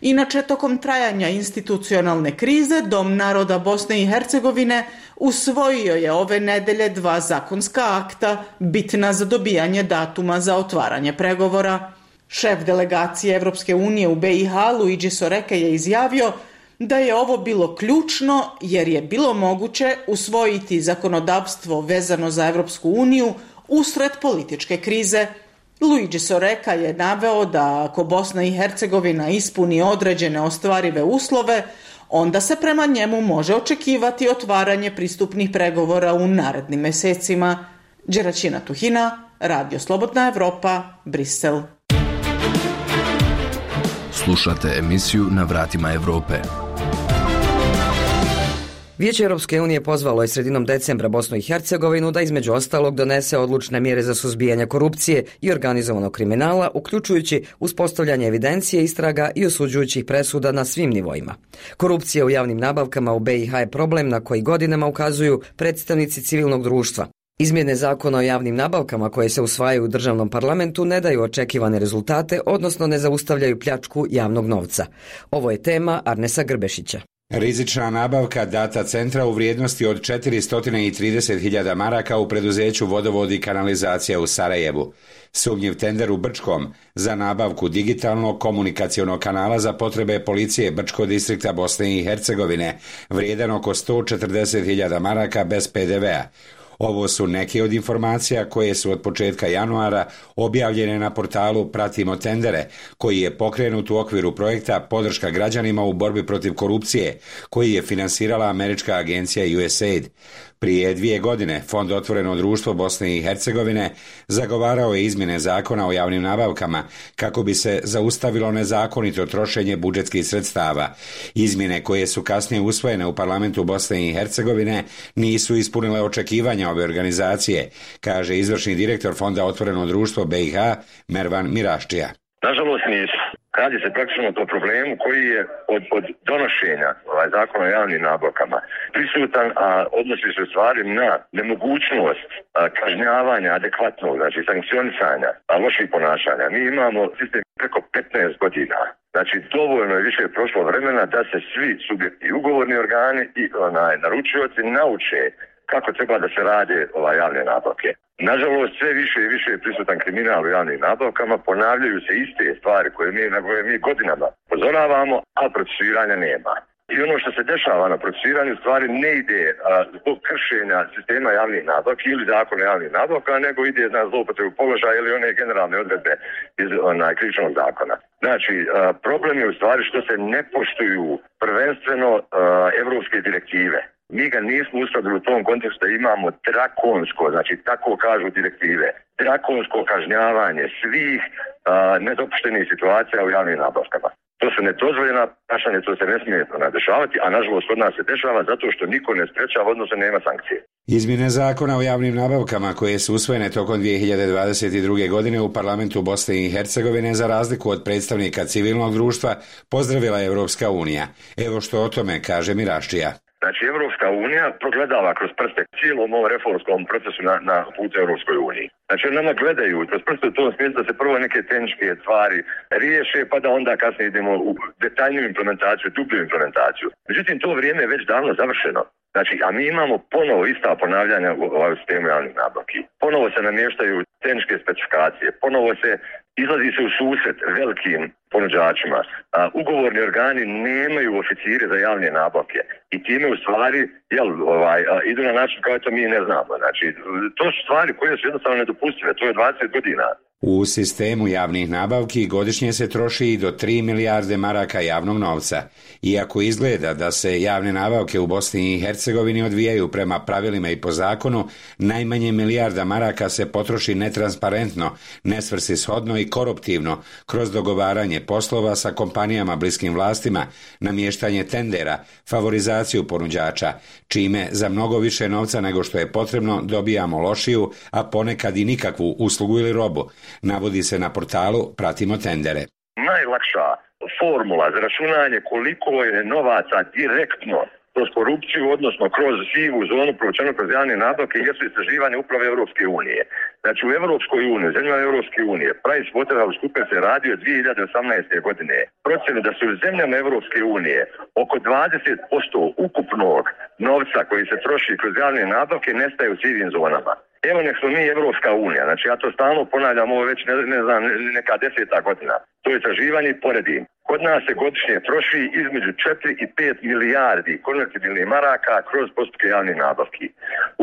Inače, tokom trajanja institucionalne krize, Dom naroda Bosne i Hercegovine usvojio je ove nedelje dva zakonska akta bitna za dobijanje datuma za otvaranje pregovora. Šef delegacije Evropske unije u BiH, Luigi Soreka, je izjavio da je ovo bilo ključno jer je bilo moguće usvojiti zakonodavstvo vezano za Evropsku uniju usred političke krize. Luigi Soreka je naveo da ako Bosna i Hercegovina ispuni određene ostvarive uslove, onda se prema njemu može očekivati otvaranje pristupnih pregovora u narednim mesecima. Đeraćina Tuhina, Radio Slobodna Evropa, Brisel. Slušate emisiju Na vratima Evrope. Vijeće Europske unije pozvalo je sredinom decembra Bosnu i Hercegovinu da između ostalog donese odlučne mjere za suzbijanje korupcije i organizovanog kriminala, uključujući uspostavljanje evidencije, istraga i osuđujućih presuda na svim nivoima. Korupcija u javnim nabavkama u BiH je problem na koji godinama ukazuju predstavnici civilnog društva. Izmjene zakona o javnim nabavkama koje se usvajaju u državnom parlamentu ne daju očekivane rezultate, odnosno ne zaustavljaju pljačku javnog novca. Ovo je tema Arnesa Grbešića. Rizična nabavka data centra u vrijednosti od 430.000 maraka u preduzeću Vodovod i kanalizacija u Sarajevu. Sumnjiv tender u Brčkom za nabavku digitalnog komunikacionog kanala za potrebe policije Brčkog distrikta Bosne i Hercegovine, vrijedan oko 140.000 maraka bez PDV-a. Ovo su neke od informacija koje su od početka januara objavljene na portalu Pratimo tendere, koji je pokrenut u okviru projekta Podrška građanima u borbi protiv korupcije, koji je finansirala američka agencija USAID. Prije 2 godine Fond Otvoreno društvo Bosne i Hercegovine zagovarao je izmjene zakona o javnim nabavkama kako bi se zaustavilo nezakonito trošenje budžetskih sredstava. Izmjene koje su kasnije usvojene u parlamentu Bosne i Hercegovine nisu ispunile očekivanja ove organizacije, kaže izvršni direktor Fonda Otvoreno društvo BiH Mervan Miraščija. Nažalost nisu. Radi se praktično o problemu koji je od donošenja zakona o javnim nabavkama prisutan, a odnosi se stvari na nemogućnost kažnjavanja adekvatnog, znači sankcionisanja loših ponašanja. Mi imamo sistem preko 15 godina. Znači dovoljno je više prošlo vremena da se svi subjekti, ugovorni organi i naručioci nauče kako treba da se rade javne nabavke. Nažalost, sve više i više je prisutan kriminal u javnim nabavkama, ponavljaju se iste stvari na koje mi godinama upozoravamo, a procesuiranja nema. I ono što se dešava na procesuiranju stvari ne ide zbog kršenja sistema javnih nabavki ili zakona javnih nabavka, nego ide na zloupotrebu položaja ili one generalne odredbe iz krivičnog zakona. Znači, problem je u stvari što se ne poštuju prvenstveno evropske direktive. Mi ga nismo uskladili u tom kontekstu da imamo drakonsko, znači tako kažu direktive, drakonsko kažnjavanje svih nedopuštenih situacija u javnim nabavkama. To su nedozvoljena ponašanja, to se ne smije dešavati, a nažalost kod nas se dešava zato što niko ne sprečava, odnosno nema sankcije. Izmjene zakona o javnim nabavkama koje su usvojene tokom 2022. godine u parlamentu Bosne i Hercegovine za razliku od predstavnika civilnog društva pozdravila je Evropska unija. Evo što o tome kaže Miraščija. Znači, Evropska unija progledava kroz prste cijelom ovom reformskom procesu na putu Evropskoj uniji. Znači, nama gledaju kroz prste u tom smislu da se prvo neke tehničke stvari riješe, pa da onda kasnije idemo u detaljniju implementaciju, dublju implementaciju. Međutim, to vrijeme je već davno završeno. Znači, a mi imamo ponovo ista ponavljanja u sistemu javnih nabavki. Ponovo se namještaju tehničke specifikacije, ponovo se izlazi se u susret velikim ponuđačima. Ugovorni organi nemaju oficire za javne nabavke i time u stvari idu na način kao to mi ne znamo. Znači, to su stvari koje su jednostavno nedopustive, to je 20 godina. U sistemu javnih nabavki godišnje se troši i do 3 milijarde maraka javnog novca. Iako izgleda da se javne nabavke u Bosni i Hercegovini odvijaju prema pravilima i po zakonu, najmanje milijarda maraka se potroši netransparentno, nesvrsishodno i koruptivno kroz dogovaranje poslova sa kompanijama bliskim vlastima, namještanje tendera, favorizaciju ponuđača, čime za mnogo više novca nego što je potrebno dobijamo lošiju, a ponekad i nikakvu uslugu ili robu. Navodi se na portalu Pratimo tendere. Najlakša formula za računanje koliko je novaca direktno kroz korupciju, odnosno kroz sivu zonu provučeno kroz javne nabavke, jesu istraživanje uprave Europske unije. Znači u Europskoj uniji, zemljama Europske unije, PricewaterhouseCoopers se radio 2018. godine. Procjene da su u zemljama Europske unije oko 20% ukupnog novca koji se troši kroz javne nabavke nestaje u sivim zonama. Evo nek smo mi Evropska unija, znači ja to stalno ponavljam, ovo već ne znam, neka 10. godina. To je istraživanje i poredim. Kod nas se godišnje troši između 4 i 5 milijardi konvertibilnih maraka kroz postupke javnih nabavki.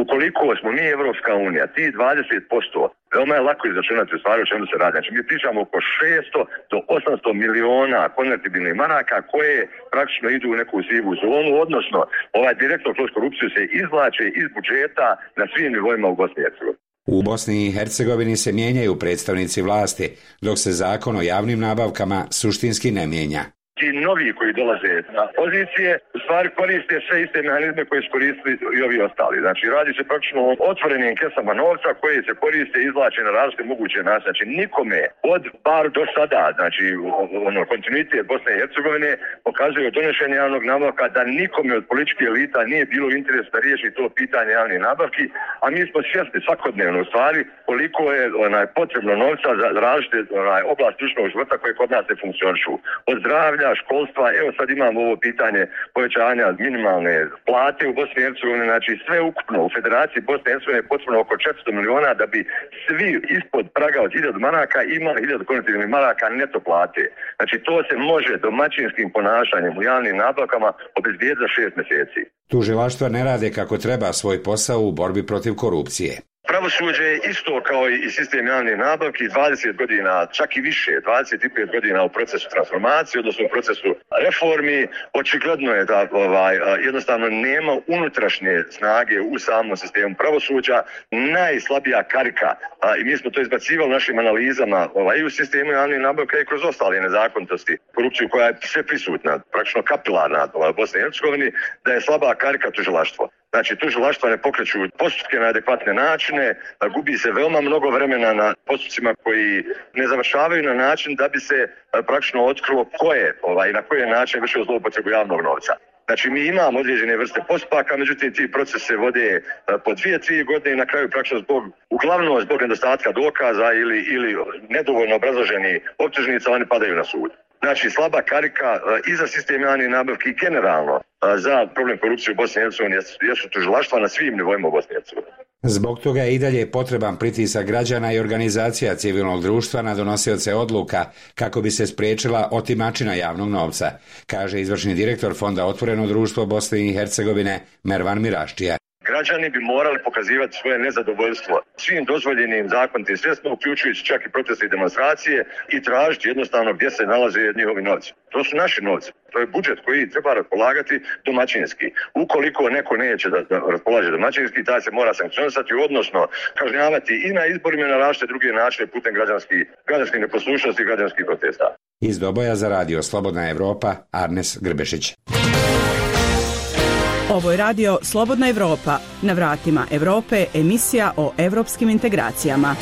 Ukoliko smo mi Evropska unija, ti 20%, veoma je lako izračunati u stvari o čemu se radi. Znači mi pričamo oko 600 do 800 miliona konvertibilnih maraka koje praktično idu u neku sivu zonu, odnosno direktno kroz korupciju se izvlače iz budžeta na svim nivoima u Bosni i Hercegovini. U Bosni i Hercegovini se mijenjaju predstavnici vlasti, dok se zakon o javnim nabavkama suštinski ne mijenja. Ti novi koji dolaze na pozicije u stvari koriste sve iste mehanizme koje su koristili i ovi ostali. Znači radi se praktično o otvorenim kesama novca koje se koriste i izvlače na različite moguće načine. Znači nikome od bar do sada, znači kontinuitet Bosne i Hercegovine pokazuje od donošenja javnog nabavka da nikome od političkih elita nije bilo interes da riješi to pitanje javnih nabavki, a mi smo svjesni svakodnevno u stvari koliko je potrebno novca za različite oblasti društvenog života koje kod nas ne funkcionišu. Od zdravlja, školstva, evo sad imamo ovo pitanje povećanja minimalne plate u Bosni i Hercegovini, znači sve ukupno u Federaciji Bosne i Hercegovine je potrebno oko 400 miliona da bi svi ispod praga od 1000 maraka imali 1000 konvertibilnih maraka neto plate. Znači to se može domaćinskim ponašanjem u javnim nabavkama obezbijediti za 6 mjeseci. Tužilaštva ne rade kako treba svoj posao u borbi protiv korupcije. Pravosuđe je isto kao i sistem javnih nabavki 20 godina, čak i više, 25 godina u procesu transformacije, odnosno u procesu reformi. Očigledno je da jednostavno nema unutrašnje snage u samom sistemu pravosuđa. Najslabija karika, i mi smo to izbacivali u našim analizama i u sistemu javnih nabavka i kroz ostale nezakonitosti, korupciju koja je sve prisutna, praktično kapilarna u Bosni i Hercegovini, da je slaba karika tužilaštvo. Znači, tužilaštva ne pokreću postupke na adekvatne načine, gubi se veoma mnogo vremena na postupcima koji ne završavaju na način da bi se praktično otkrilo ko je i na koji je način vršio zloupotrebu javnog novca. Znači, mi imamo određene vrste postupaka, međutim, ti procesi se vode po 2-3 godine i na kraju praktično uglavnom zbog nedostatka dokaza ili nedovoljno obrazloženi optužnica, oni padaju na sud. Znači, slaba karika i za sistem javnih nabavki i generalno za problem korupcije u Bosni i Hercegovini jesu tužilaštva na svim nivoima u Bosni i Hercegovini. Zbog toga je i dalje potreban pritisak građana i organizacija civilnog društva na donosioce odluka kako bi se spriječila otimačina javnog novca, kaže izvršni direktor Fonda Otvoreno društvo Bosne i Hercegovine Mervan Miraščija. Građani bi morali pokazivati svoje nezadovoljstvo svim dozvoljenim zakonitim sredstvima, uključujući čak i proteste i demonstracije, i tražiti jednostavno gdje se nalaze njihovi novci. To su naši novci. To je budžet koji treba raspolagati domaćinski. Ukoliko neko neće da raspolaže domaćinski, taj se mora sankcionisati, odnosno kažnjavati i na izborima i na različite druge načine putem građanskih neposlušnosti i građanskih protesta. Iz Doboja za radio Slobodna Evropa, Arnes Grbešić. Ovo je radio Slobodna Evropa. Na vratima Evrope, emisija o evropskim integracijama.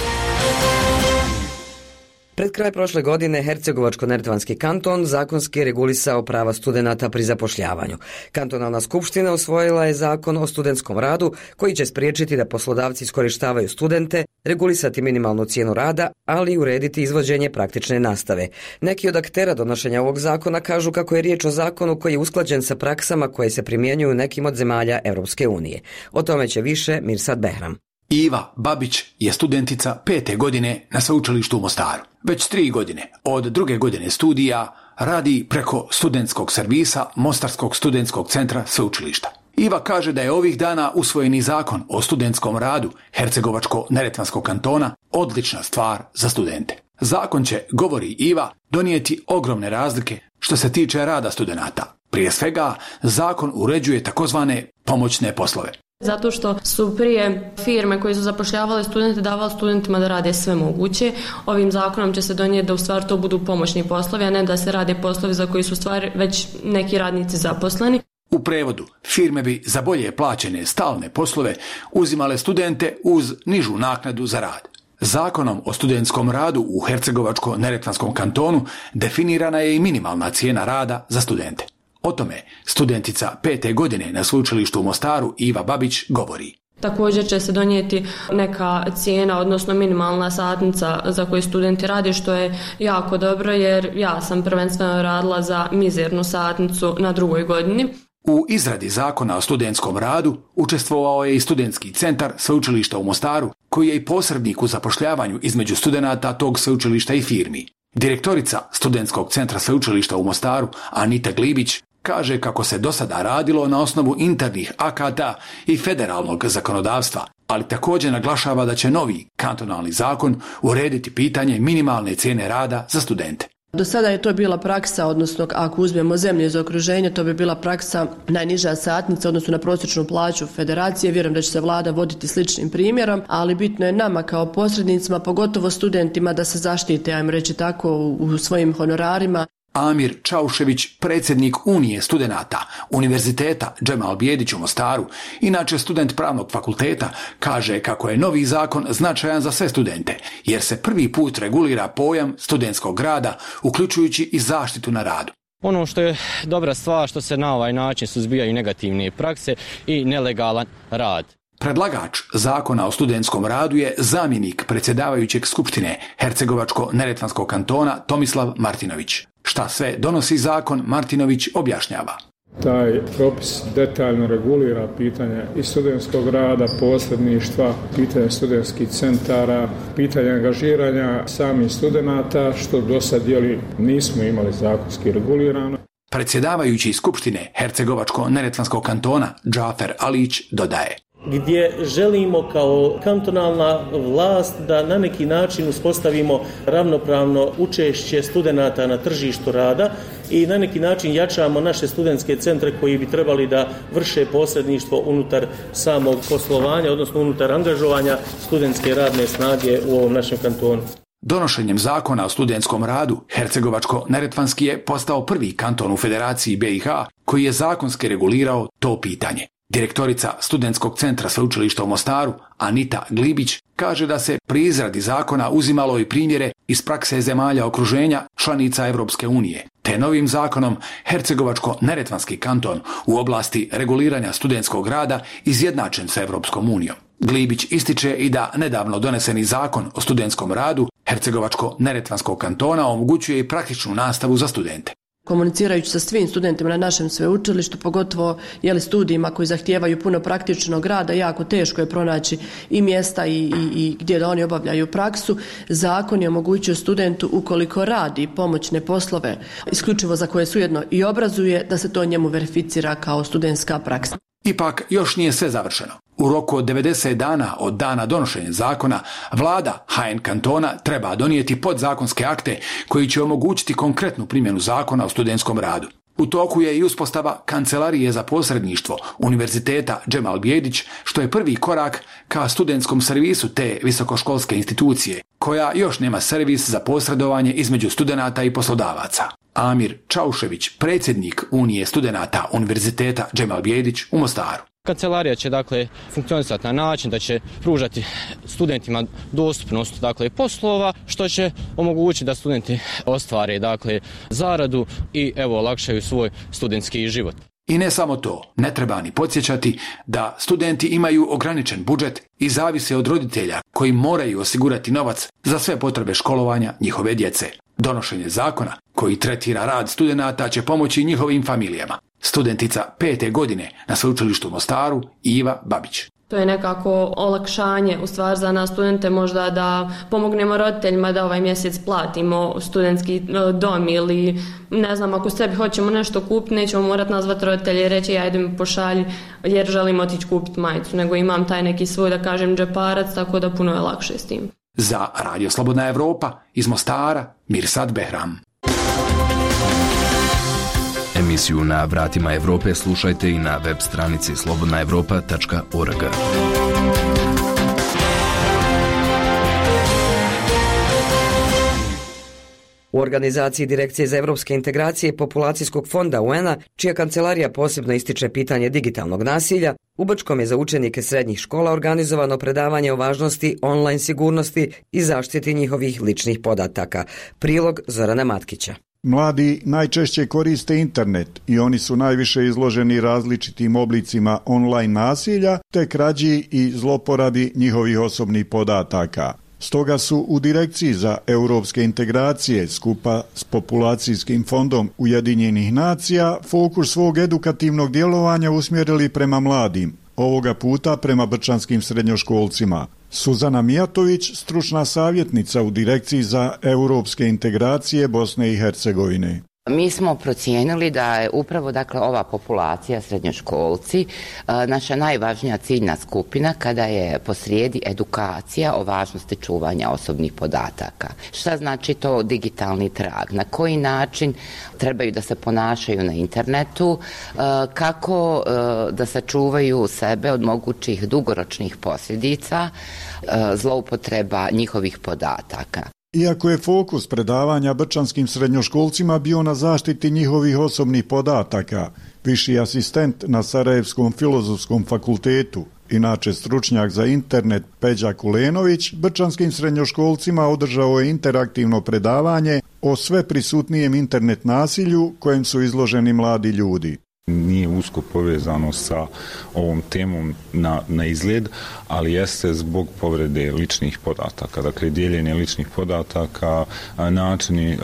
Pred kraj prošle godine Hercegovačko-neretvanski kanton zakonski je regulisao prava studenata pri zapošljavanju. Kantonalna skupština usvojila je zakon o studentskom radu koji će spriječiti da poslodavci iskorištavaju studente, regulisati minimalnu cijenu rada, ali i urediti izvođenje praktične nastave. Neki od aktera donošenja ovog zakona kažu kako je riječ o zakonu koji je usklađen sa praksama koje se primjenjuju u nekim od zemalja Europske unije. O tome će više Mirsad Behram. Iva Babić je studentica 5. godine na sveučilištu u Mostaru. Već 3 godine od 2. godine studija radi preko studentskog servisa Mostarskog studentskog centra sveučilišta. Iva kaže da je ovih dana usvojeni zakon o studentskom radu Hercegovačko-neretvanskog kantona odlična stvar za studente. Zakon će, govori Iva, donijeti ogromne razlike što se tiče rada studenata. Prije svega, zakon uređuje takozvane pomoćne poslove. Zato što su prije firme koje su zapošljavale studente davali studentima da rade sve moguće. Ovim zakonom će se donijeti da u stvari to budu pomoćni poslovi, a ne da se rade poslovi za koji su u stvari već neki radnici zaposleni. U prevodu, firme bi za bolje plaćene stalne poslove uzimale studente uz nižu naknadu za rad. Zakonom o studentskom radu u Hercegovačko-neretvanskom kantonu definirana je i minimalna cijena rada za studente. O tome studentica 5. godine na sveučilištu u Mostaru Iva Babić govori. Također će se donijeti neka cijena, odnosno minimalna satnica za koju studenti rade, što je jako dobro jer ja sam prvenstveno radila za mizernu satnicu na 2. godini. U izradi zakona o studentskom radu učestvovao je i studentski centar sveučilišta u Mostaru, koji je i posrednik u zapošljavanju između studenata tog sveučilišta i firmi. Direktorica studentskog centra sveučilišta u Mostaru, Anita Glibić, kaže kako se do sada radilo na osnovu internih akata i federalnog zakonodavstva, ali također naglašava da će novi kantonalni zakon urediti pitanje minimalne cijene rada za studente. Do sada je to bila praksa, odnosno ako uzmemo zemlje iz okruženja, to bi bila praksa najniža satnica, odnosno na prosječnu plaću federacije. Vjerujem da će se vlada voditi sličnim primjerom, ali bitno je nama kao posrednicima, pogotovo studentima, da se zaštite, ajmo reći tako, u svojim honorarima. Amir Čaušević, predsjednik Unije studenata Univerziteta Džemal Bijedić u Mostaru, inače student pravnog fakulteta, kaže kako je novi zakon značajan za sve studente, jer se prvi put regulira pojam studentskog rada, uključujući i zaštitu na radu. Ono što je dobra stvar što se na ovaj način suzbijaju negativne prakse i nelegalan rad. Predlagač zakona o studentskom radu je zamjenik predsjedavajućeg skupštine Hercegovačko-neretvanskog kantona Tomislav Martinović. Šta sve donosi zakon, Martinović objašnjava. Taj propis detaljno regulira pitanje i studentskog rada, posredništva, pitanje studentskih centara, pitanje angažiranja samih studenata, što do sad nismo imali zakonski regulirano. Predsjedavajući Skupštine Hercegovačko-neretvanskog kantona Džafer Alić dodaje: gdje želimo kao kantonalna vlast da na neki način uspostavimo ravnopravno učešće studenata na tržištu rada i na neki način jačamo naše studentske centre koji bi trebali da vrše posredništvo unutar samog poslovanja, odnosno unutar angažovanja studentske radne snage u ovom našem kantonu. Donošenjem zakona o studentskom radu, Hercegovačko-neretvanski je postao prvi kanton u Federaciji BiH koji je zakonski regulirao to pitanje. Direktorica Studentskog centra Sveučilišta u Mostaru, Anita Glibić, kaže da se pri izradi zakona uzimalo i primjere iz prakse zemalja okruženja članica Europske unije, te novim zakonom Hercegovačko-neretvanski kanton u oblasti reguliranja studentskog rada izjednačen sa Europskom unijom. Glibić ističe i da nedavno doneseni zakon o studentskom radu Hercegovačko-neretvanskog kantona omogućuje i praktičnu nastavu za studente. Komunicirajući sa svim studentima na našem sveučilištu, pogotovo studijima koji zahtijevaju puno praktičnog rada, jako teško je pronaći i mjesta i gdje da oni obavljaju praksu. Zakon je omogućio studentu, ukoliko radi pomoćne poslove, isključivo za koje se ujedno i obrazuje, da se to njemu verificira kao studentska praksa. Ipak još nije sve završeno. U roku od 90 dana od dana donošenja zakona, vlada HN kantona treba donijeti podzakonske akte koji će omogućiti konkretnu primjenu zakona o studentskom radu. U toku je i uspostava Kancelarije za posredništvo Univerziteta Džemal Bijedić, što je prvi korak ka studentskom servisu te visokoškolske institucije, koja još nema servis za posredovanje između studenata i poslodavaca. Amir Čaušević, predsjednik Unije studenata Univerziteta Džemal Bijedić u Mostaru. Kancelarija će funkcionisati na način da će pružati studentima dostupnost poslova, što će omogućiti da studenti ostvare zaradu i olakšaju svoj studentski život. I ne samo to, ne treba ni podsjećati da studenti imaju ograničen budžet i zavise od roditelja koji moraju osigurati novac za sve potrebe školovanja njihove djece. Donošenje zakona koji tretira rad studenata će pomoći njihovim familijama. Studentica 5. godine na Sveučilištu u Mostaru, Iva Babić. To je nekako olakšanje u stvar za nas studente, možda da pomognemo roditeljima da ovaj mjesec platimo studentski dom ili ne znam, ako sebi hoćemo nešto kupiti, nećemo morati nazvati roditelje i reći ajde mi pošalji jer želim otići kupiti majicu, nego imam taj neki svoj, da kažem, džeparac, tako da puno je lakše s tim. Za Radio Slobodna Evropa iz Mostara, Mirsad Behram. Emisiju Na vratima Evrope slušajte i na web stranici slobodnaevropa.org. U organizaciji Direkcije za evropske integracije i populacijskog fonda UN-a, čija kancelarija posebno ističe pitanje digitalnog nasilja, u Brčkom je za učenike srednjih škola organizovano predavanje o važnosti online sigurnosti i zaštiti njihovih ličnih podataka. Prilog Zorana Matkića. Mladi najčešće koriste internet i oni su najviše izloženi različitim oblicima online nasilja te krađi i zloporabi njihovih osobnih podataka. Stoga su u Direkciji za europske integracije skupa s Populacijskim fondom Ujedinjenih nacija fokus svog edukativnog djelovanja usmjerili prema mladim, ovoga puta prema brčanskim srednjoškolcima. Suzana Mijatović, stručna savjetnica u Direkciji za europske integracije Bosne i Hercegovine. Mi smo procijenili da je upravo ova populacija srednjoškolci naša najvažnija ciljna skupina kada je posrijedi edukacija o važnosti čuvanja osobnih podataka. Šta znači to digitalni trag? Na koji način trebaju da se ponašaju na internetu? Kako da sačuvaju sebe od mogućih dugoročnih posljedica zloupotreba njihovih podataka? Iako je fokus predavanja brčanskim srednjoškolcima bio na zaštiti njihovih osobnih podataka, viši asistent na Sarajevskom filozofskom fakultetu, inače stručnjak za internet Peđa Kulenović, brčanskim srednjoškolcima održao je interaktivno predavanje o sve prisutnijem internet nasilju kojem su izloženi mladi ljudi. Nije usko povezano sa ovom temom na izgled, ali jeste zbog povrede ličnih podataka. Dakle, dijeljenje ličnih podataka, načini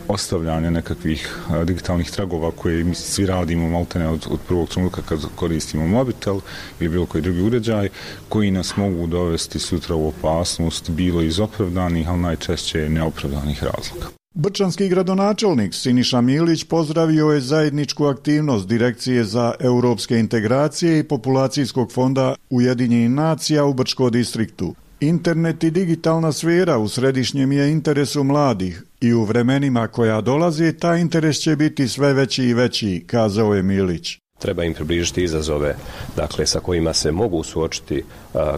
ostavljanja nekakvih digitalnih tragova koje mi svi radimo maltene od prvog trenutka kad koristimo mobitel ili bilo koji drugi uređaj, koji nas mogu dovesti sutra u opasnost, bilo iz opravdanih, ali najčešće neopravdanih razloga. Brčanski gradonačelnik Siniša Milić pozdravio je zajedničku aktivnost Direkcije za europske integracije i Populacijskog fonda Ujedinjenih nacija u Brčko distriktu. Internet i digitalna sfera u središnjem je interesu mladih i u vremenima koja dolaze taj interes će biti sve veći i veći, kazao je Milić. Treba im približiti izazove, dakle, sa kojima se mogu suočiti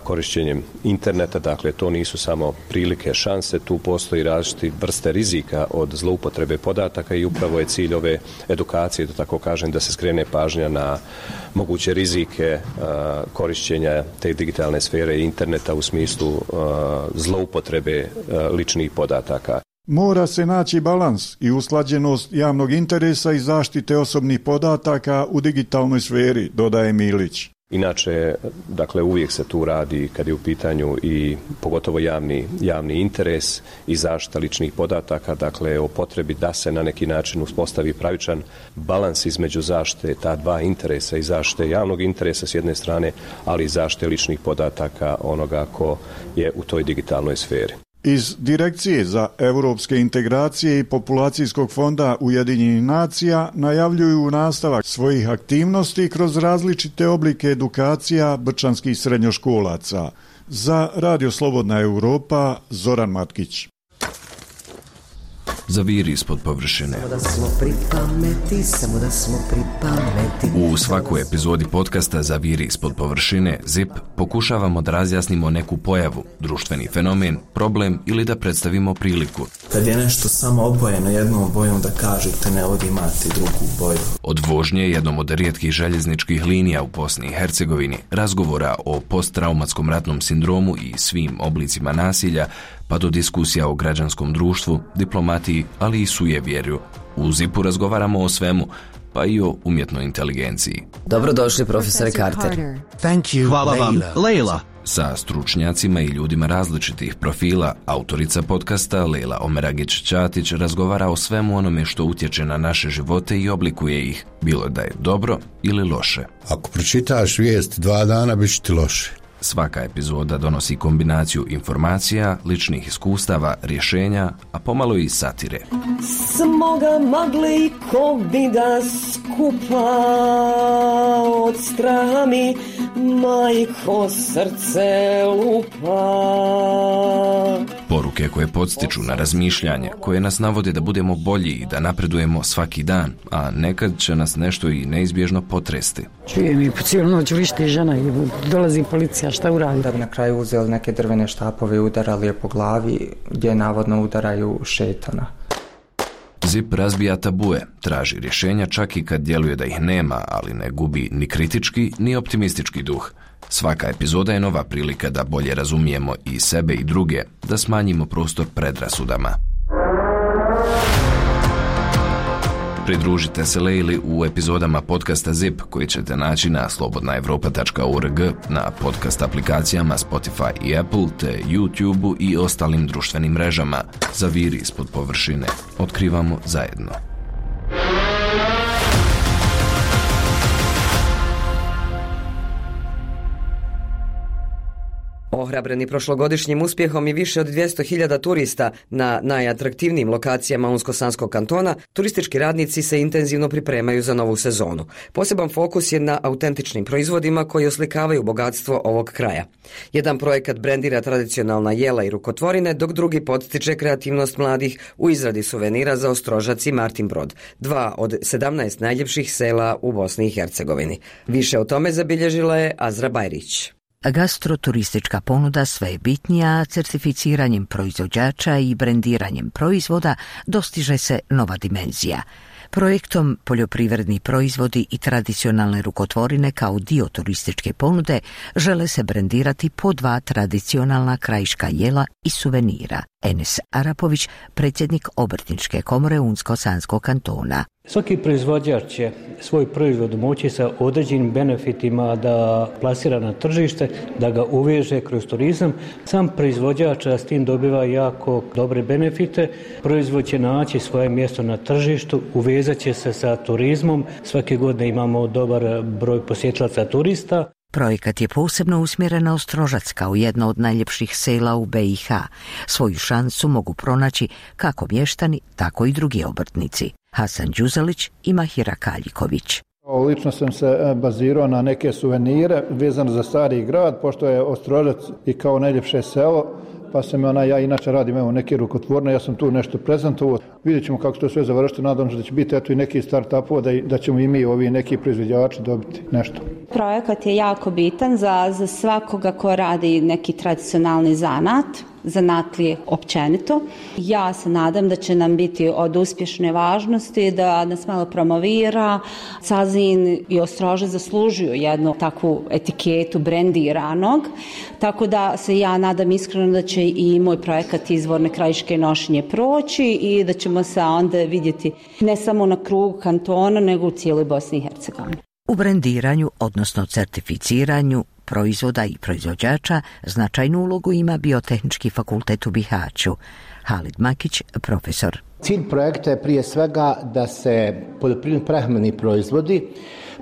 korišćenjem interneta, dakle, to nisu samo prilike, šanse, tu postoji različite vrste rizika od zloupotrebe podataka i upravo je cilj ove edukacije, da tako kažem, da se skrene pažnja na moguće rizike korišćenja te digitalne sfere i interneta u smislu zloupotrebe ličnih podataka. Mora se naći balans i usklađenost javnog interesa i zaštite osobnih podataka u digitalnoj sferi, dodaje Milić. Inače, dakle, uvijek se tu radi kad je u pitanju i pogotovo javni interes i zaštita ličnih podataka, dakle, o potrebi da se na neki način uspostavi pravičan balans između zaštite ta dva interesa i zaštite javnog interesa s jedne strane, ali i zaštite ličnih podataka onoga ko je u toj digitalnoj sferi. Iz Direkcije za europske integracije i Populacijskog fonda Ujedinjenih nacija najavljuju nastavak svojih aktivnosti kroz različite oblike edukacija brčanskih srednjoškolaca. Za Radio Slobodna Europa, Zoran Matkić. Zaviri ispod površine. U svakoj epizodi podcasta Zaviri ispod površine ZIP pokušavamo da razjasnimo neku pojavu, društveni fenomen, problem ili da predstavimo priliku. Kad je nešto samo obojeno jednom bojom, da kažete ne ovdje imate drugu boju. Od vožnje jednom od rijetkih željezničkih linija u Bosni i Hercegovini, razgovora o posttraumatskom ratnom sindromu i svim oblicima nasilja, pa do diskusija o građanskom društvu, diplomatiji, ali i sujevjerju. U ZIP-u razgovaramo o svemu, pa i o umjetnoj inteligenciji. Dobrodošli, profesor Carter. Hvala vam, Leila. Sa stručnjacima i ljudima različitih profila, autorica podcasta Leila Omeragić-Ćatić razgovara o svemu onome što utječe na naše živote i oblikuje ih, bilo da je dobro ili loše. Ako pročitaš vijest 2 dana, bit će ti loše. Svaka epizoda donosi kombinaciju informacija, ličnih iskustava, rješenja, a pomalo i satire. Smoga magle i covida skupa od straha mi majko srce lupa. Poruke koje podstiču na razmišljanje, koje nas navode da budemo bolji i da napredujemo svaki dan, a nekad će nas nešto i neizbježno potresti. Čujem i po cijelu noć vrišti žena i dolazi policija, šta uradi? Da bi na kraju uzeli neke drvene štapove i udarali je po glavi, gdje navodno udaraju šetana. ZIP razbija tabue, traži rješenja čak i kad djeluje da ih nema, ali ne gubi ni kritički ni optimistički duh. Svaka epizoda je nova prilika da bolje razumijemo i sebe i druge, da smanjimo prostor predrasudama. Pridružite se Leili u epizodama podcasta ZIP koji ćete naći na slobodnaevropa.org, na podcast aplikacijama Spotify i Apple, te YouTube i ostalim društvenim mrežama. Zaviri ispod površine. Otkrivamo zajedno. Ohrabreni prošlogodišnjim uspjehom i više od 200.000 turista na najatraktivnijim lokacijama Unsko-Sanskog kantona, turistički radnici se intenzivno pripremaju za novu sezonu. Poseban fokus je na autentičnim proizvodima koji oslikavaju bogatstvo ovog kraja. Jedan projekat brendira tradicionalna jela i rukotvorine, dok drugi podstiče kreativnost mladih u izradi suvenira za Ostrožac i Martin Brod, 2 od 17 najljepših sela u Bosni i Hercegovini. Više o tome zabilježila je Azra Bajrić. Gastroturistička ponuda sve je bitnija, certificiranjem proizvođača i brendiranjem proizvoda dostiže se nova dimenzija. Projektom poljoprivredni proizvodi i tradicionalne rukotvorine kao dio turističke ponude žele se brendirati po 2 tradicionalna krajiška jela i suvenira. Enes Arapović, predsjednik Obrtničke komore Unsko-Sanskog kantona. Svaki proizvođač će svoj proizvod moći sa određenim benefitima da plasira na tržište, da ga uveže kroz turizam. Sam proizvođač s tim dobiva jako dobre benefite. Proizvod će naći svoje mjesto na tržištu, uvezat će se sa turizmom. Svake godine imamo dobar broj posjetilaca turista. Projekat je posebno usmjeren na Ostrožac kao jedno od najljepših sela u BiH. Svoju šansu mogu pronaći kako mještani, tako i drugi obrtnici. Hasan Đuzalić i Mahira Kaljiković. Lično sam se bazirao na neke suvenire vezano za stari grad, pošto je Ostrožac i kao najljepše selo, pa sam ja inače radim neke rukotvorne, ja sam tu nešto prezentovao. Vidjet ćemo kako to sve završiti, nadam se da će biti i neki start-upova, da ćemo i mi ovi neki proizvođači dobiti nešto. Projekat je jako bitan za svakoga ko radi neki tradicionalni zanat, zanatlije općenito. Ja se nadam da će nam biti od uspješne važnosti, da nas malo promovira. Cazin i Ostrožac zaslužuju jednu takvu etiketu brendiranog, tako da se ja nadam iskreno da će i moj projekat Izvorne krajiške nošenje proći i da ćemo se onda vidjeti ne samo na krugu kantona, nego u cijeloj Bosni i Hercegovini. U brendiranju, odnosno certificiranju proizvoda i proizvođača, značajnu ulogu ima Biotehnički fakultet u Bihaću. Halid Makić, profesor. Cilj projekta je prije svega da se poljoprivredni prehrambeni proizvodi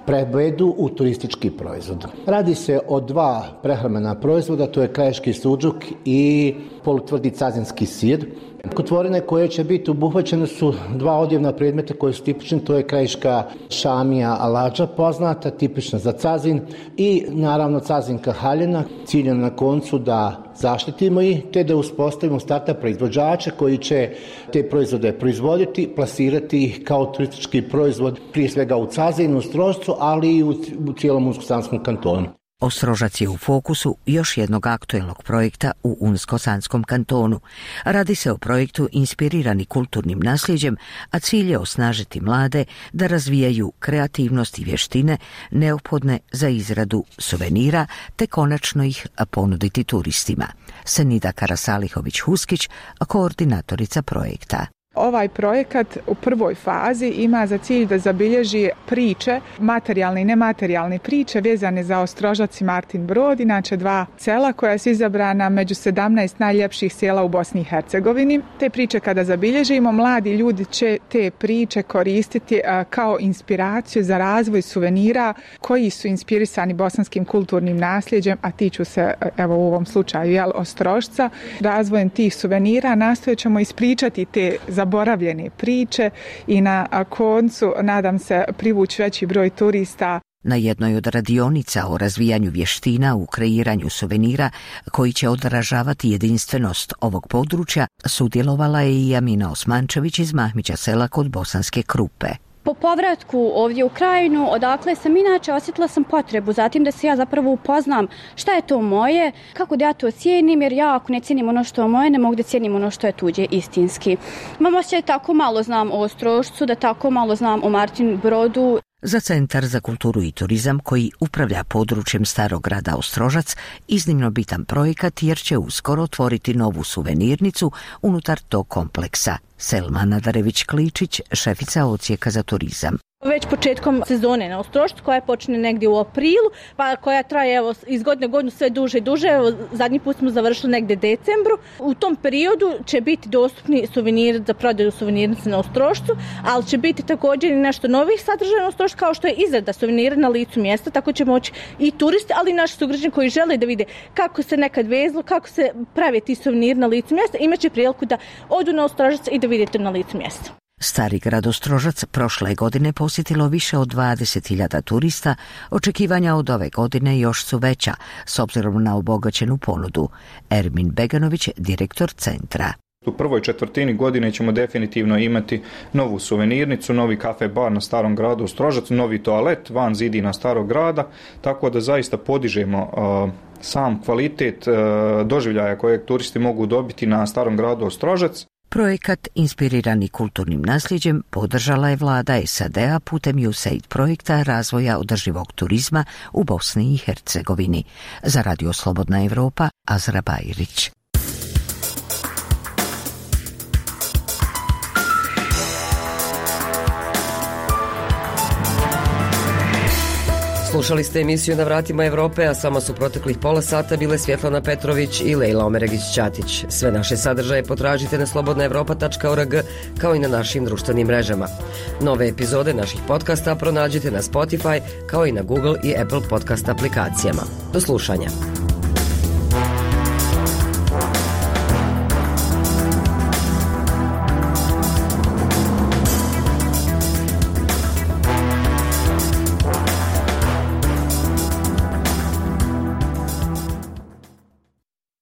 prevedu u turistički proizvod. Radi se o dva prehrambena proizvoda, to je krajiški suđuk i polutvrdi cazinski sir. Rukotvorine koje će biti obuhvaćene su dva odjevna predmeta koji su tipični, to je krajiška šamija alađa poznata, tipična za cazin i naravno cazinka haljina, ciljem na koncu da zaštitimo ih te da uspostavimo starta proizvođače koji će te proizvode proizvoditi, plasirati ih kao turistički proizvod prije svega u Cazinu, u Ostrožcu, ali i u cijelom Unsko-Sanskom kantonu. Ostrožac je u fokusu još jednog aktuelnog projekta u Unsko-Sanskom kantonu. Radi se o projektu inspirirani kulturnim nasljeđem, a cilj je osnažiti mlade da razvijaju kreativnost i vještine neophodne za izradu suvenira te konačno ih ponuditi turistima. Senida Karasalihović-Huskić, koordinatorica projekta. Ovaj projekat u prvoj fazi ima za cilj da zabilježi priče, materijalne i nematerijalne priče vezane za Ostrožac i Martin Brod, inače dva sela koja su izabrana među 17 najljepših sela u Bosni i Hercegovini. Te priče kada zabilježimo, mladi ljudi će te priče koristiti kao inspiraciju za razvoj suvenira koji su inspirisani bosanskim kulturnim nasljeđem, a tiču se, evo u ovom slučaju, Ostrožca. Razvojem tih suvenira nastojat ćemo ispričati te zaboravljene priče i na koncu, nadam se, privući veći broj turista. Na jednoj od radionica o razvijanju vještina u kreiranju suvenira koji će odražavati jedinstvenost ovog područja sudjelovala je i Amina Osmančević iz Mahmića sela kod Bosanske Krupe. Po povratku ovdje u Krajinu, odakle sam inače, osjetila sam potrebu zatim da se ja zapravo upoznam šta je to moje, kako da ja to cijenim, jer ja ako ne cijenim ono što je moje, ne mogu da cijenim ono što je tuđe istinski. Imam osjećaj tako malo znam o Ostrožcu, da tako malo znam o Martin Brodu. Za Centar za kulturu i turizam koji upravlja područjem Starog grada Ostrožac iznimno bitan projekat jer će uskoro otvoriti novu suvenirnicu unutar tog kompleksa. Selma Nadarević-Kličić, šefica odsjeka za turizam. Već početkom sezone na Ostrožcu koja počne negdje u aprilu, pa koja traje iz godine godinu sve duže i duže. Zadnji put smo završili negdje decembru. U tom periodu će biti dostupni suveniri za prodaju suvenirnice na Ostrožcu, ali će biti također i nešto novih sadržaja na Ostrožcu kao što je izrada suvenira na licu mjesta, tako će moći i turisti, ali i naši sugrađani koji žele da vide kako se nekad vezlo, kako se prave ti suveniri na licu mjesta, imaće priliku da odu na Ostrožac i da vidite na licu mjesta. Stari grad Ostrožac prošle godine posjetilo više od 20.000 turista, očekivanja od ove godine još su veća, s obzirom na obogaćenu ponudu. Ermin Beganović, direktor centra. U prvoj četvrtini godine ćemo definitivno imati novu suvenirnicu, novi kafe bar na Starom gradu Ostrožac, novi toalet van zidina Starog grada, tako da zaista podižemo sam kvalitet doživljaja kojeg turisti mogu dobiti na Starom gradu Ostrožac. Projekat inspirirani kulturnim nasljeđem podržala je vlada SAD-a putem USAID projekta razvoja održivog turizma u Bosni i Hercegovini. Za Radio Slobodna Evropa, Azra Bajrić. Slušali ste emisiju Na vratima Evrope, a samo su proteklih pola sata bile Svjetlana Petrović i Lejla Omeregić-Ćatić. Sve naše sadržaje potražite na slobodnaevropa.org kao i na našim društvenim mrežama. Nove epizode naših podcasta pronađite na Spotify kao i na Google i Apple podcast aplikacijama. Do slušanja.